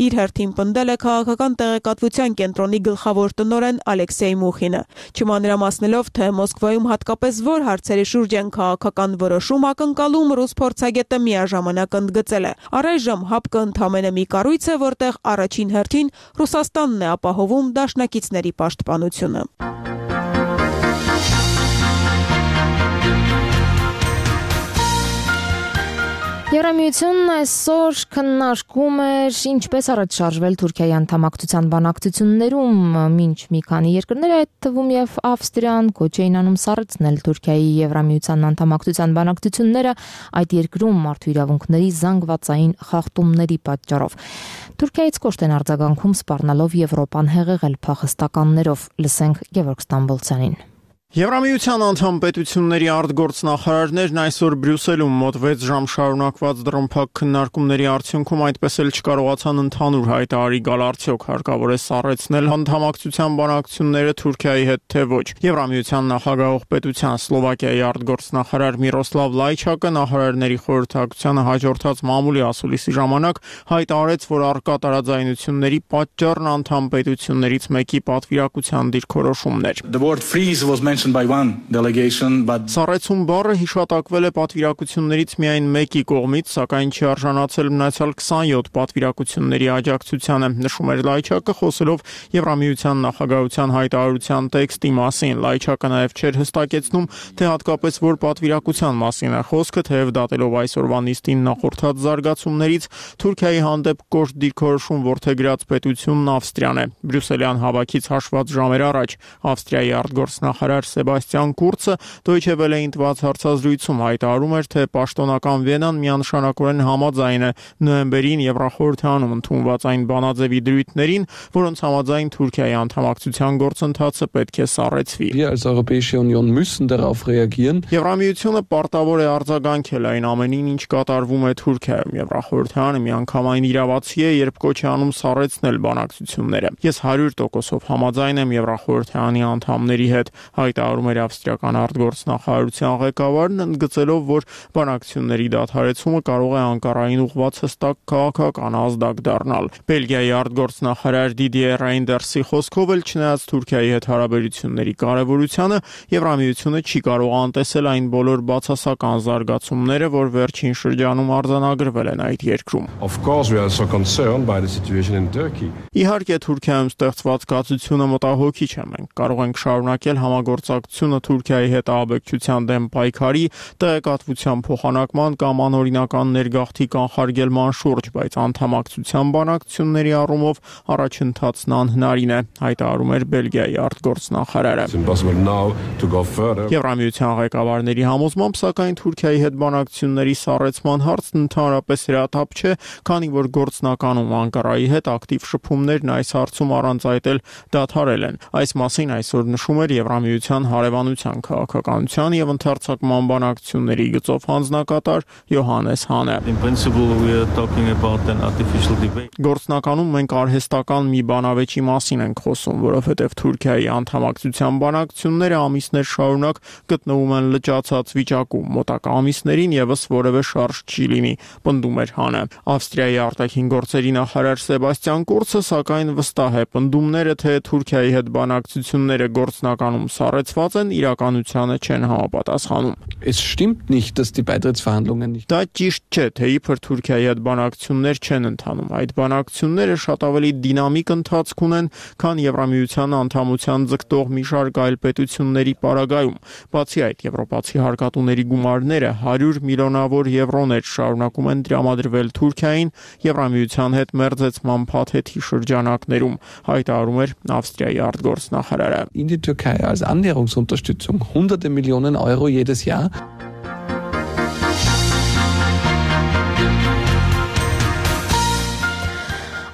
[SPEAKER 2] Իր հերթին պնդել է քաղաքական տեղեկատվության կենտրոնի գլխավոր տնօրեն Ալեքսեյ Մուխինը։ Չմանրամասնելով, թե Մոսկվայում հատկապես որ հարցերի շուրջ են քաղաքական որոշում ակնկալում, ռուս փորձագետը միաժամանակ ընդգծել է. առայժմ ՀԱՊԿ-ը ընդամենը մի կառույց է, որտեղ առաջին հերթին Ռուսաստանն է ապահովում դաշնակիցների պաշտպանությունը։
[SPEAKER 1] Եվրամիությունն այսօր քննարկում էր ինչպես առաջ շարժվել Թուրքիայի անդամակցության բանակցություններում, մինչ մի քանի երկրներ, այդ թվում եւ Ավստրիան, կոչ էին անում սառեցնել Թուրքիայի Եվրամիության անդամակցության բանակցությունները այդ երկրում մարդու իրավունքների զանգվածային խախտումների պատճառով։ Թուրքիայից կոշտ են արձագանքում սպառնալով Եվրոպան հեղեղել փախստականներով։ Լսենք Գևորգ Ստամբոլցյանին։
[SPEAKER 7] Եվրամիության անդամ պետությունների արտգործնախարարներն այսօր Բրյուսելում մոտ 6 ժամ շարունակված դռնփակ քննարկումների արդյունքում այդպես էլ չկարողացան ընդհանուր հայտարարի գալ արդյոք հարկավոր է սառեցնել անդամակցության բանակցությունները Թուրքիայի հետ թե ոչ։ Եվրամիության նախագահող պետության Սլովակիայի արտգործնախարար Միրոսլավ Լայչակը նախարարների խորհրդակցությանը հաջորդած մամուլի ասուլիսի ժամանակ հայտարարեց, որ առկա տարաձայնությունների պատճառն անդամ պետություններից մեկի պատվիրակության դիրքորոշումն էր։ Սառեցում բառը հիշատակվել է պատվիրակություններից միայն մեկի կողմից, սակայն չի արժանացել մնացյալ 27 պատվիրակությունների աջակցությանը, նշում էր Լայչակը, խոսելով Եվրամիության նախագահության հայտարարության տեքստի մասին։ Լայչակը նաև չէր հստակեցնում, թե հատկապես որ պատվիրակության մասին է խոսքը, թեև դատելով այսօրվա նիստին նախորդած զարգացումներից Թուրքիայի հանդեպ կոշտ դիրքորոշում որդեգրած պետությունն Ավստրիան է։ Բրյուսելյան հավաքից հաշված ժամեր առաջ Ավստրիայի արտգործնախարար Սեբաստիան Կուրցը Deutsche Welle-ին տված հարցազրույցում հայտարարում էր, թե պաշտոնական Վիենան միանշանակորեն համաձայն է նոյեմբերին Եվրախորհրդանում ընդունված այն բանաձևի դրույթներին, որոնց համաձայն Թուրքիայի անդամակցության գործընթացը պետք է սառեցվի։ Եվրամիությունը պարտավոր է արձագանքել այն ամենին, ինչ կատարվում է Թուրքիայում։ Եվրախորհրդանը միանգամայն իրավացի է, երբ կոչ է անում սառեցնել բանակցությունները։ Ես 100% համաձայն եմ Եվրախորհրդանի անդամների հետ, հայտարարում էր ավստրիական արտգործնախարարության ղեկավարն, ընդգծելով, որ բանակցությունների դադարեցումը կարող է Անկարային ուղղված հստակ քաղաքական ազդակ դառնալ։ Բելգիայի արտգործնախարար Դիդիե Ռեյնդերսի խոսքով էլ չնայած Թուրքիայի հետ հարաբերությունների կարևորությանը, Եվրամիությունը չի կարող անտեսել այն բոլոր բացասական զարգացումները, որ վերջին շրջանում արձանագրվել են այդ երկրում։ Իհարկե, Թուրքիայում ստեղծված կացությունը մտահոգիչ է։ Մենք կարող ենք շարունակել համագործակցությունը Թուրքիայի հետ ահաբեկչության դեմ պայքարի, տեղեկատվության փոխանակման կամ անօրինական ներգաղթի կանխարգելման շուրջ, բայց անդամակցության բանակցությունների առումով առաջընթացն անհնարին է, հայտարարում էր Բելգիայի արտգործնախարարը։ Եվրամիության ղեկավարների համոզմամբ, սակայն Թուրքիայի հետ բանակցությունների սառեցման հարցն ընդհանրապես հրատապ չէ, քանի որ գործնականում Անկարայի հետ ակտիվ շփումներն այս հարցում առանց այդ էլ դադարել են։ Այս մասին այսօր նշում էր Եվրամիության հարևանության քաղաքականության եւ ընդհանրացման բանակցությունների գծով հանձնակատար Յոհանես Հանը։ Գործնականում մենք արհեստական մի բանավեճի մասին ենք խոսում, որովհետեւ Թուրքիայի անդամակցության բանակցությունները ամիսներ շարունակ գտնվում են լճացած վիճակում, մոտակա ամիսներին եւս որևէ շարժ չի լինի, պնդում էր Հանը։ Ավստրիայի արտաքին գործերի նախարար Սեբաստիան Կուրցը սակայն վստահ է, պնդումները, թե Թուրքիայի հետ բանակցությունները գործնականում սառեցված են, իրականությանը չեն համապատասխանում։ Դա ճիշտ չէ, թե իբր Թուրքիայի հետ բանակցություններ չեն ընթանում։ Այդ բանակցությունները շատ ավելի դինամիկ ընթացք ունեն, քան Եվրամիության անդամության ձգտող մի շարք այլ պետությունների պարագայում։ Բացի այդ, եվրոպացի հարկատուների գումարները 100 միլիոնավոր եվրոներ շարունակում են տրամադրվել Թուրքիային Եվրամիության հետ մերձեցման փաթեթի շրջանակներում, հայտարարում էր Ավստրիայի արտգործնախարարը։
[SPEAKER 17] In die Türkei als Annäherungsunterstützung hunderte Millionen Euro jedes Jahr.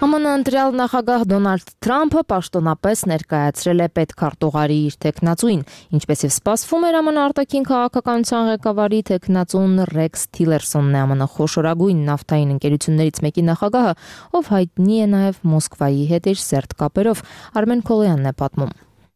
[SPEAKER 1] ԱՄՆ ընտրյալ նախագահ Դոնալդ Թրամփը պաշտոնապես ներկայացրել է պետքարտուղարի իր թեկնածուին, ինչպես եւ սպասվում էր ԱՄՆ արտաքին քաղաքականության ղեկավարի թեկնածուն Ռեքս Թիլերսոնն է ԱՄՆ խոշորագույն նավթային ընկերություններից մեկի նախագահը, ով հայտնի է նաեւ Մոսկվայի հետ իր սերտ կապերով։ Արմեն Քոլյանն է պատմում։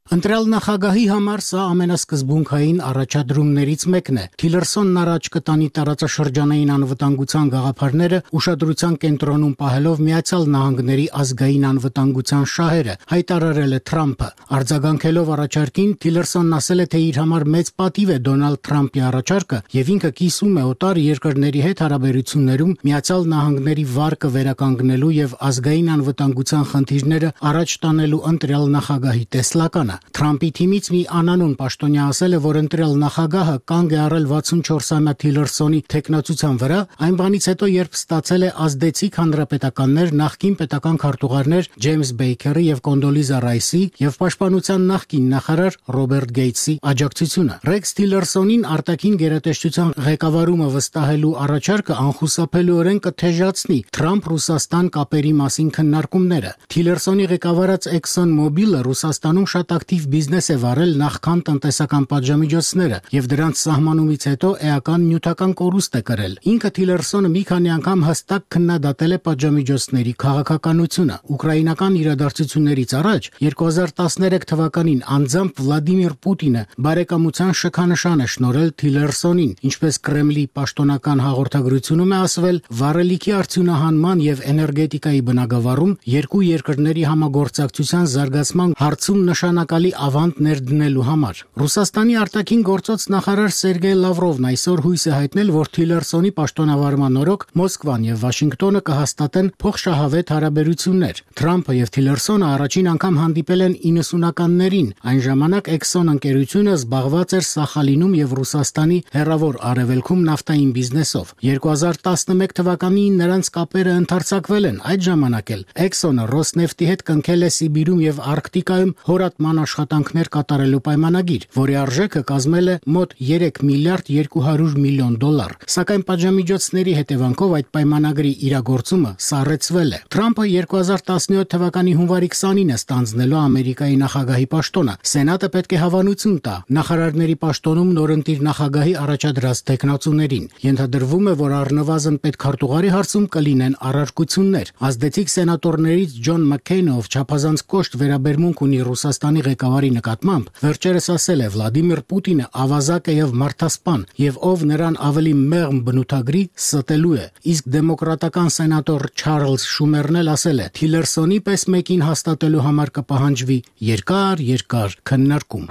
[SPEAKER 19] Ընտրյալ նախագահի համար սա ամենասկզբունքային առաջադրումներից մեկն է։ Թիլերսոնն առաջ կտանի տարածաշրջանային անվտանգության գաղափարները ուշադրության կենտրոնում պահելով Միացյալ Նահանգների ազգային անվտանգության շահերը, հայտարարել է Թրամփը։ Արձագանքելով առաջարկին, Թիլերսոնն ասել է, թե իր համար մեծ պատիվ է Դոնալդ Թրամփի առաջարկը եւ ինքը կիսում է օտար երկրների հետ հարաբերություններում Միացյալ Նահանգների վարկը վերականգնելու եւ ազգային անվտանգության խնդիրները առաջ տանելու ընտրյալ նախագահի տեսլականը։ Թրամփի թիմից մի անանուն պաշտոնյա ասել է, որ ընտրել նախագահը կանգ է առել 64-ամյա Թիլերսոնի թեկնածության վրա, այն բանից հետո, երբ ստացել է ազդեցիկ հանրապետականներ, նախկին պետական քարտուղարներ Ջեյմս Բեյքերի եւ Կոնդոլիզա Ռայսի եւ պաշտպանության նախկին նախարար Ռոբերտ Գեյթսի աջակցությունը։ Ռեքս Թիլերսոնին արտաքին գերատեսչության ղեկավարումը վստահելու առաջարկը անխուսափելիորեն կթեժացնի Թրամփ-Ռուսաստան կապերի մասին քննարկումները։ Թիլերսոնի ղեկավարած Exxon Mobil-ը Ռուսաստանում շատ ակտիվ բիզնես է վարել նախքան տնտեսական պատժամիջոցները եւ դրանց սահմանումից հետո էական նյութական կորուստ է կրել։ Ինքը Թիլերսոնը մի քանի անգամ հստակ քննադատել է պատժամիջոցների քաղաքականությունը։ Ուկրաինական իրադարձություններից առաջ 2013 թվականին անձամբ Վլադիմիր Պուտինը բարեկամության շքանշան է շնորհել Թիլերսոնին, ինչպես Կրեմլի պաշտոնական հաղորդագրությունում է ասվել, վառելիքի արդյունահանման եւ էներգետիկայի բնագավառում երկու երկրների համագործակցության զարգացման հարցում նշանակալի ավանդ ներդնելու համար։ Ռուսաստանի արտաքին գործոց նախարար Սերգեյ Լավրովն այսօր հույս է հայտնել, որ Թիլերսոնի պաշտոնավարման օրոք Մոսկվան եւ Վաշինգտոնը կհաստատեն փոխշահավետ հարաբերություններ։ Թրամփը եւ Թիլերսոնը առաջին անգամ հանդիպել են 90-ականներին։ Այն ժամանակ Exxon ընկերությունը զբաղված էր Սախալինում եւ Ռուսաստանի հեռավոր արևելքում նավթային բիզնեսով։ 2011 թվականին նրանց կապերը ընդարձակվել են։ Այդ ժամանակ էլ Exxon-ը Ռոսնեֆտի հետ կնքել է Սիբիրում եւ Արկտիկայում հորատման աշխատանքներ կատարելու պայմանագիր, որի արժեքը կազմել է մոտ 3 միլիարդ 200 միլիոն դոլար։ Սակայն պատժամիջոցների հետևանքով այդ պայմանագրի իրագործումը սառեցվել է։ Թրամփը 2017 թվականի հունվարի 20-ին է ստանձնելու Ամերիկայի նախագահի պաշտոնը։ Սենատը պետք է հավանություն տա նախարարների պաշտոնում նորընտիր նախագահի առաջադրած տեխնացուներին։ Ենթադրվում է, որ առնվազն պետքարտուղարի հարցում կլինեն առարկություններ։ Ազդեցիկ սենատորներից Ջոն Մաքքեյնը, ով չափազանց կոշտ վերաբերմունք ունի Ռուսաստանի ղեկավարի նկատմամբ, վերջերս ասել է Վլադիմիր Պուտինը ավազակ է եւ մարդասպան, եւ ով նրան ավելի մեղմ բնութագրի ստելու է։ Իսկ դեմոկրատական սենատոր Չարլզ Շումերն էլ ասել է. Թիլերսոնի պես մեկին հաստատելու համար կպահանջվի երկար քննարկում։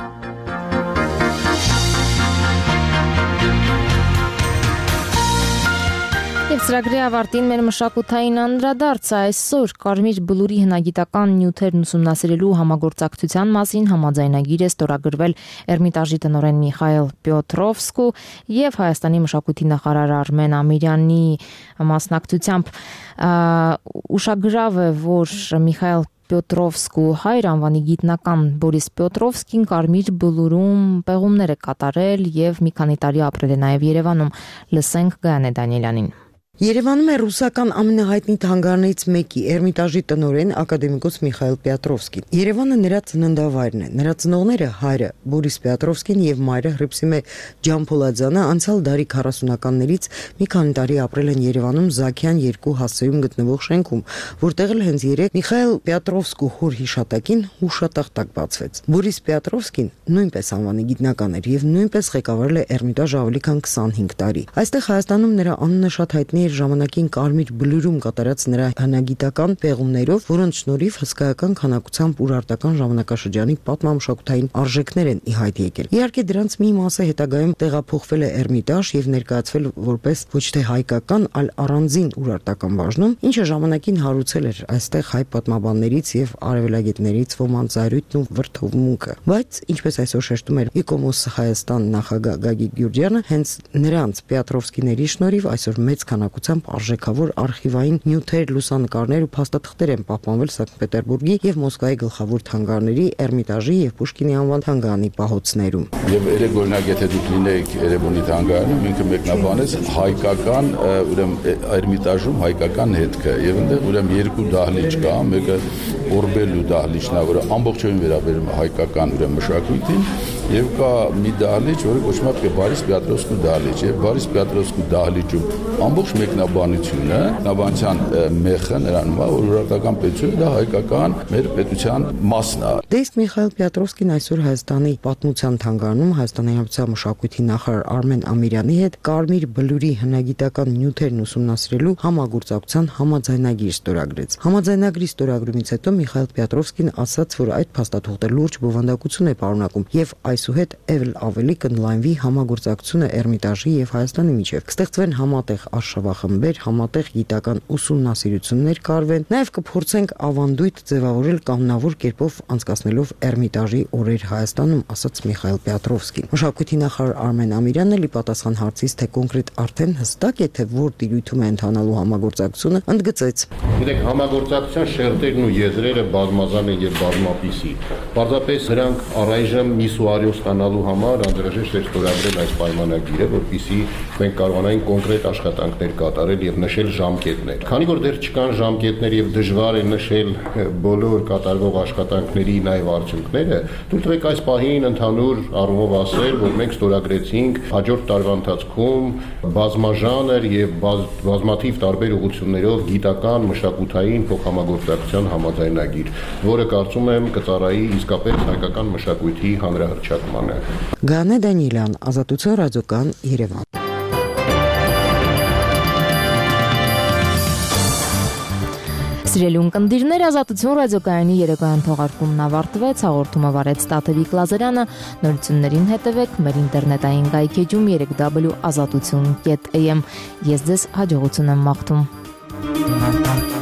[SPEAKER 1] Եվ ծրագրի ավարտին մեր մշակութային անդրադարձը այսօր Կարմիր բլուրի հնագիտական նյութերն ուսումնասիրելու համագործակցության մասին համաձայնագիր է ստորագրվել Էրմիտաժի տնօրեն Միխայել Պյոտրովսկու եւ Հայաստանի մշակույթի նախարար Արմեն Ամիրյանի մասնակցությամբ։ Ուշագրավ է, որ Միխայել Պյոտրովսկու հայր անվանի գիտնական Բորիս Պյոտրովսկին Կարմիր բլուրում պեղումներ է կատարել եւ մի քանի տարի ապրել է նաեւ Երևանում։ Լսենք Գայանե Դանիելյանին։
[SPEAKER 18] Երևանում է ռուսական ամենահայտնի թանգարներից մեկի Էրմիտաժի տնօրեն ակադեմիկոս Միխայել Պյոտրովսկին։ Երևանը նրա ծննդավայրն է։ Նրա ծնողները հայրը Բորիս Պյոտրովսկին եւ մայրը Հռիփսիմե Ջամփոլաձյանը անցյալ դարի 40-ականներից մի քանի տարի ապրել են Երևանում Զաքյան 2 հասցեում գտնվող շենքում, որտեղ էլ հենց երեկ Միխայել Պյոտրովսկու հոր հիշատակին հուշատախտակ բացվեց։ Բորիս Պյոտրովսկին նույնպես անվանի գիտնական էր եւ նույնպես ղեկավարել է Էրմիտաժը ավելի քան 25 տարի։ Այստեղ Հայաստանում նրա անունը շատ հայտնի ժամանակին Կարմիր բլուրում կատարած նրա հնագիտական պեղումներով, որոնց շնորհիվ հսկայական քանակությամբ ուրարտական ժամանակաշրջանի պատմամշակութային արժեքներ են ի հայտ եկել։ Իհարկե դրանց մի մասը հետագայում տեղափոխվել է Էրմիտաժ եւ ներկայացվել որպես ոչ թե հայկական, այլ առանձին ուրարտական բաժնում, ինչը ժամանակին հարուցել էր այստեղ հայ պատմաբաններից եւ արևելագետներից ոմանց զայրույթն ու վրդովմունքը։ Բայց ինչպես այսօր շեշտում էր Իկոմոս Հայաստան նախագահ Գագիկ Գյուրջյանը, հենց նրանց Պյոտրովսկիների շնորհիվ այսօր մեծ քանակությամբ արժեքավոր արխիվային նյութեր, լուսանկարներ ու փաստաթղթեր են պահպանվել Սանկտ Պետերբուրգի եւ Մոսկվայի գլխավոր թանգարների, Էրմիտաժի եւ Պուշկինի անվան թանգարանի պահոցներում։
[SPEAKER 20] Եվ երեք օրինակ եթե դուք լինեիք Երևանի թանգարանում, ինքը մեկնաբանեց հայկական, ուրեմն Էրմիտաժում հայկական հետքը եւ այնտեղ ուրեմն երկու դահլիճ կա, մեկը Օրբելու դահլիճն է, որը ամբողջովին վերաբերում է հայկական ուրեմն մշակույթին, եւ կա մի դահլիճ, որը կոչվում է Բորիս Պյոտրովսկու դահլիճ, եւ Բորիս Պյոտրովսկու դահլիճում ամբողջ մեկնաբանությունը, մեկնաբանության մեխը նրանում է, որ ուրարտական պետությունը դա հայկական մեր պետության մասն է։
[SPEAKER 18] Դեսկ Միխայել Պյոտրովսկին այսօր Հայաստանի պատմության թանգարանում Հայաստանի Հանրապետության մշակույթի նախարար Արմեն Ամիրյանի հետ Կարմիր բլուրի հնագիտական նյութերն ուսումնասիրելու համագործակցության համաձայնագիր ստորագրեց։ Համաձայնագրի ստորագրումից հետո Միխայել Պյոտրովսկին ասաց, որ այդ փաստաթուղթը լուրջ բովանդակություն է պարունակում եւ այսուհետ էլ ավելի կընդլայնվի համագործակցությունը Էրմիտաժի եւ Հայաստանի միջեւ։ Կստեղծվեն համատեղ արշավախմբեր, համատեղ գիտական ուսումնասիրություններ կարվեն, նաեւ կփորձենք ավանդույթ ձևավորել կանոնավոր կերպով անցկացնելով Էրմիտաժի օրեր Հայաստանում, ասաց Միխայել Պետրովսկին։ Մշակույթի նախարար Արմեն Ամիրյանն էլի պատասխան հարցից, թե կոնկրետ արդեն հստակ է, թե որ տիրույթում է ընթանալու համագործակցությունը, ընդգծեց.
[SPEAKER 6] Գիտեք, համագործակցության շերտերն ու եզրերը բազմազան են եւ բազմապիսի։ Պարզապես նրանք առայժմ միսուարիո ստանալու համար անհրաժեշտ է ստորագրել այս պայմանագիրը, որպեսզի մենք կարողանայինք կոնկրետ աշխատանքներ կատարել եւ նշել ժամկետներ։ Քանի որ դեռ չկան ժամկետներ եւ դժվար է նշել բոլոր կատարվող աշխատանքների նաեւ արդյունքները, թույլ տվեք այս պահին ընդհանուր առումով ասել, որ մենք ստորագրեցինք հաջորդ տարվա ընթացքում բազմաժանր եւ բազմաթիվ տարբեր ուղղություններով գիտական, մշակութային փոխհամագործակցության համաձայնագիր, որը կարծում եմ կծառայի իսկապես հայկական մշակույթի հանրահռչակմանը։
[SPEAKER 18] Գանե Դանիելյան, Ազատություն ռադիոկան, Երևան։
[SPEAKER 1] Սիրելի ունկնդիրներ, Ազատություն ռադիոկայանի երեկոյան թողարկումն ավարտվեց, հաղորդումը վարեց Տաթևիկ Լազարյանը, նորություններին հետևեք մեր ինտերնետային կայքեջում www.azatutun.am։ Ես ձեզ հաջողություն եմ մաղթում։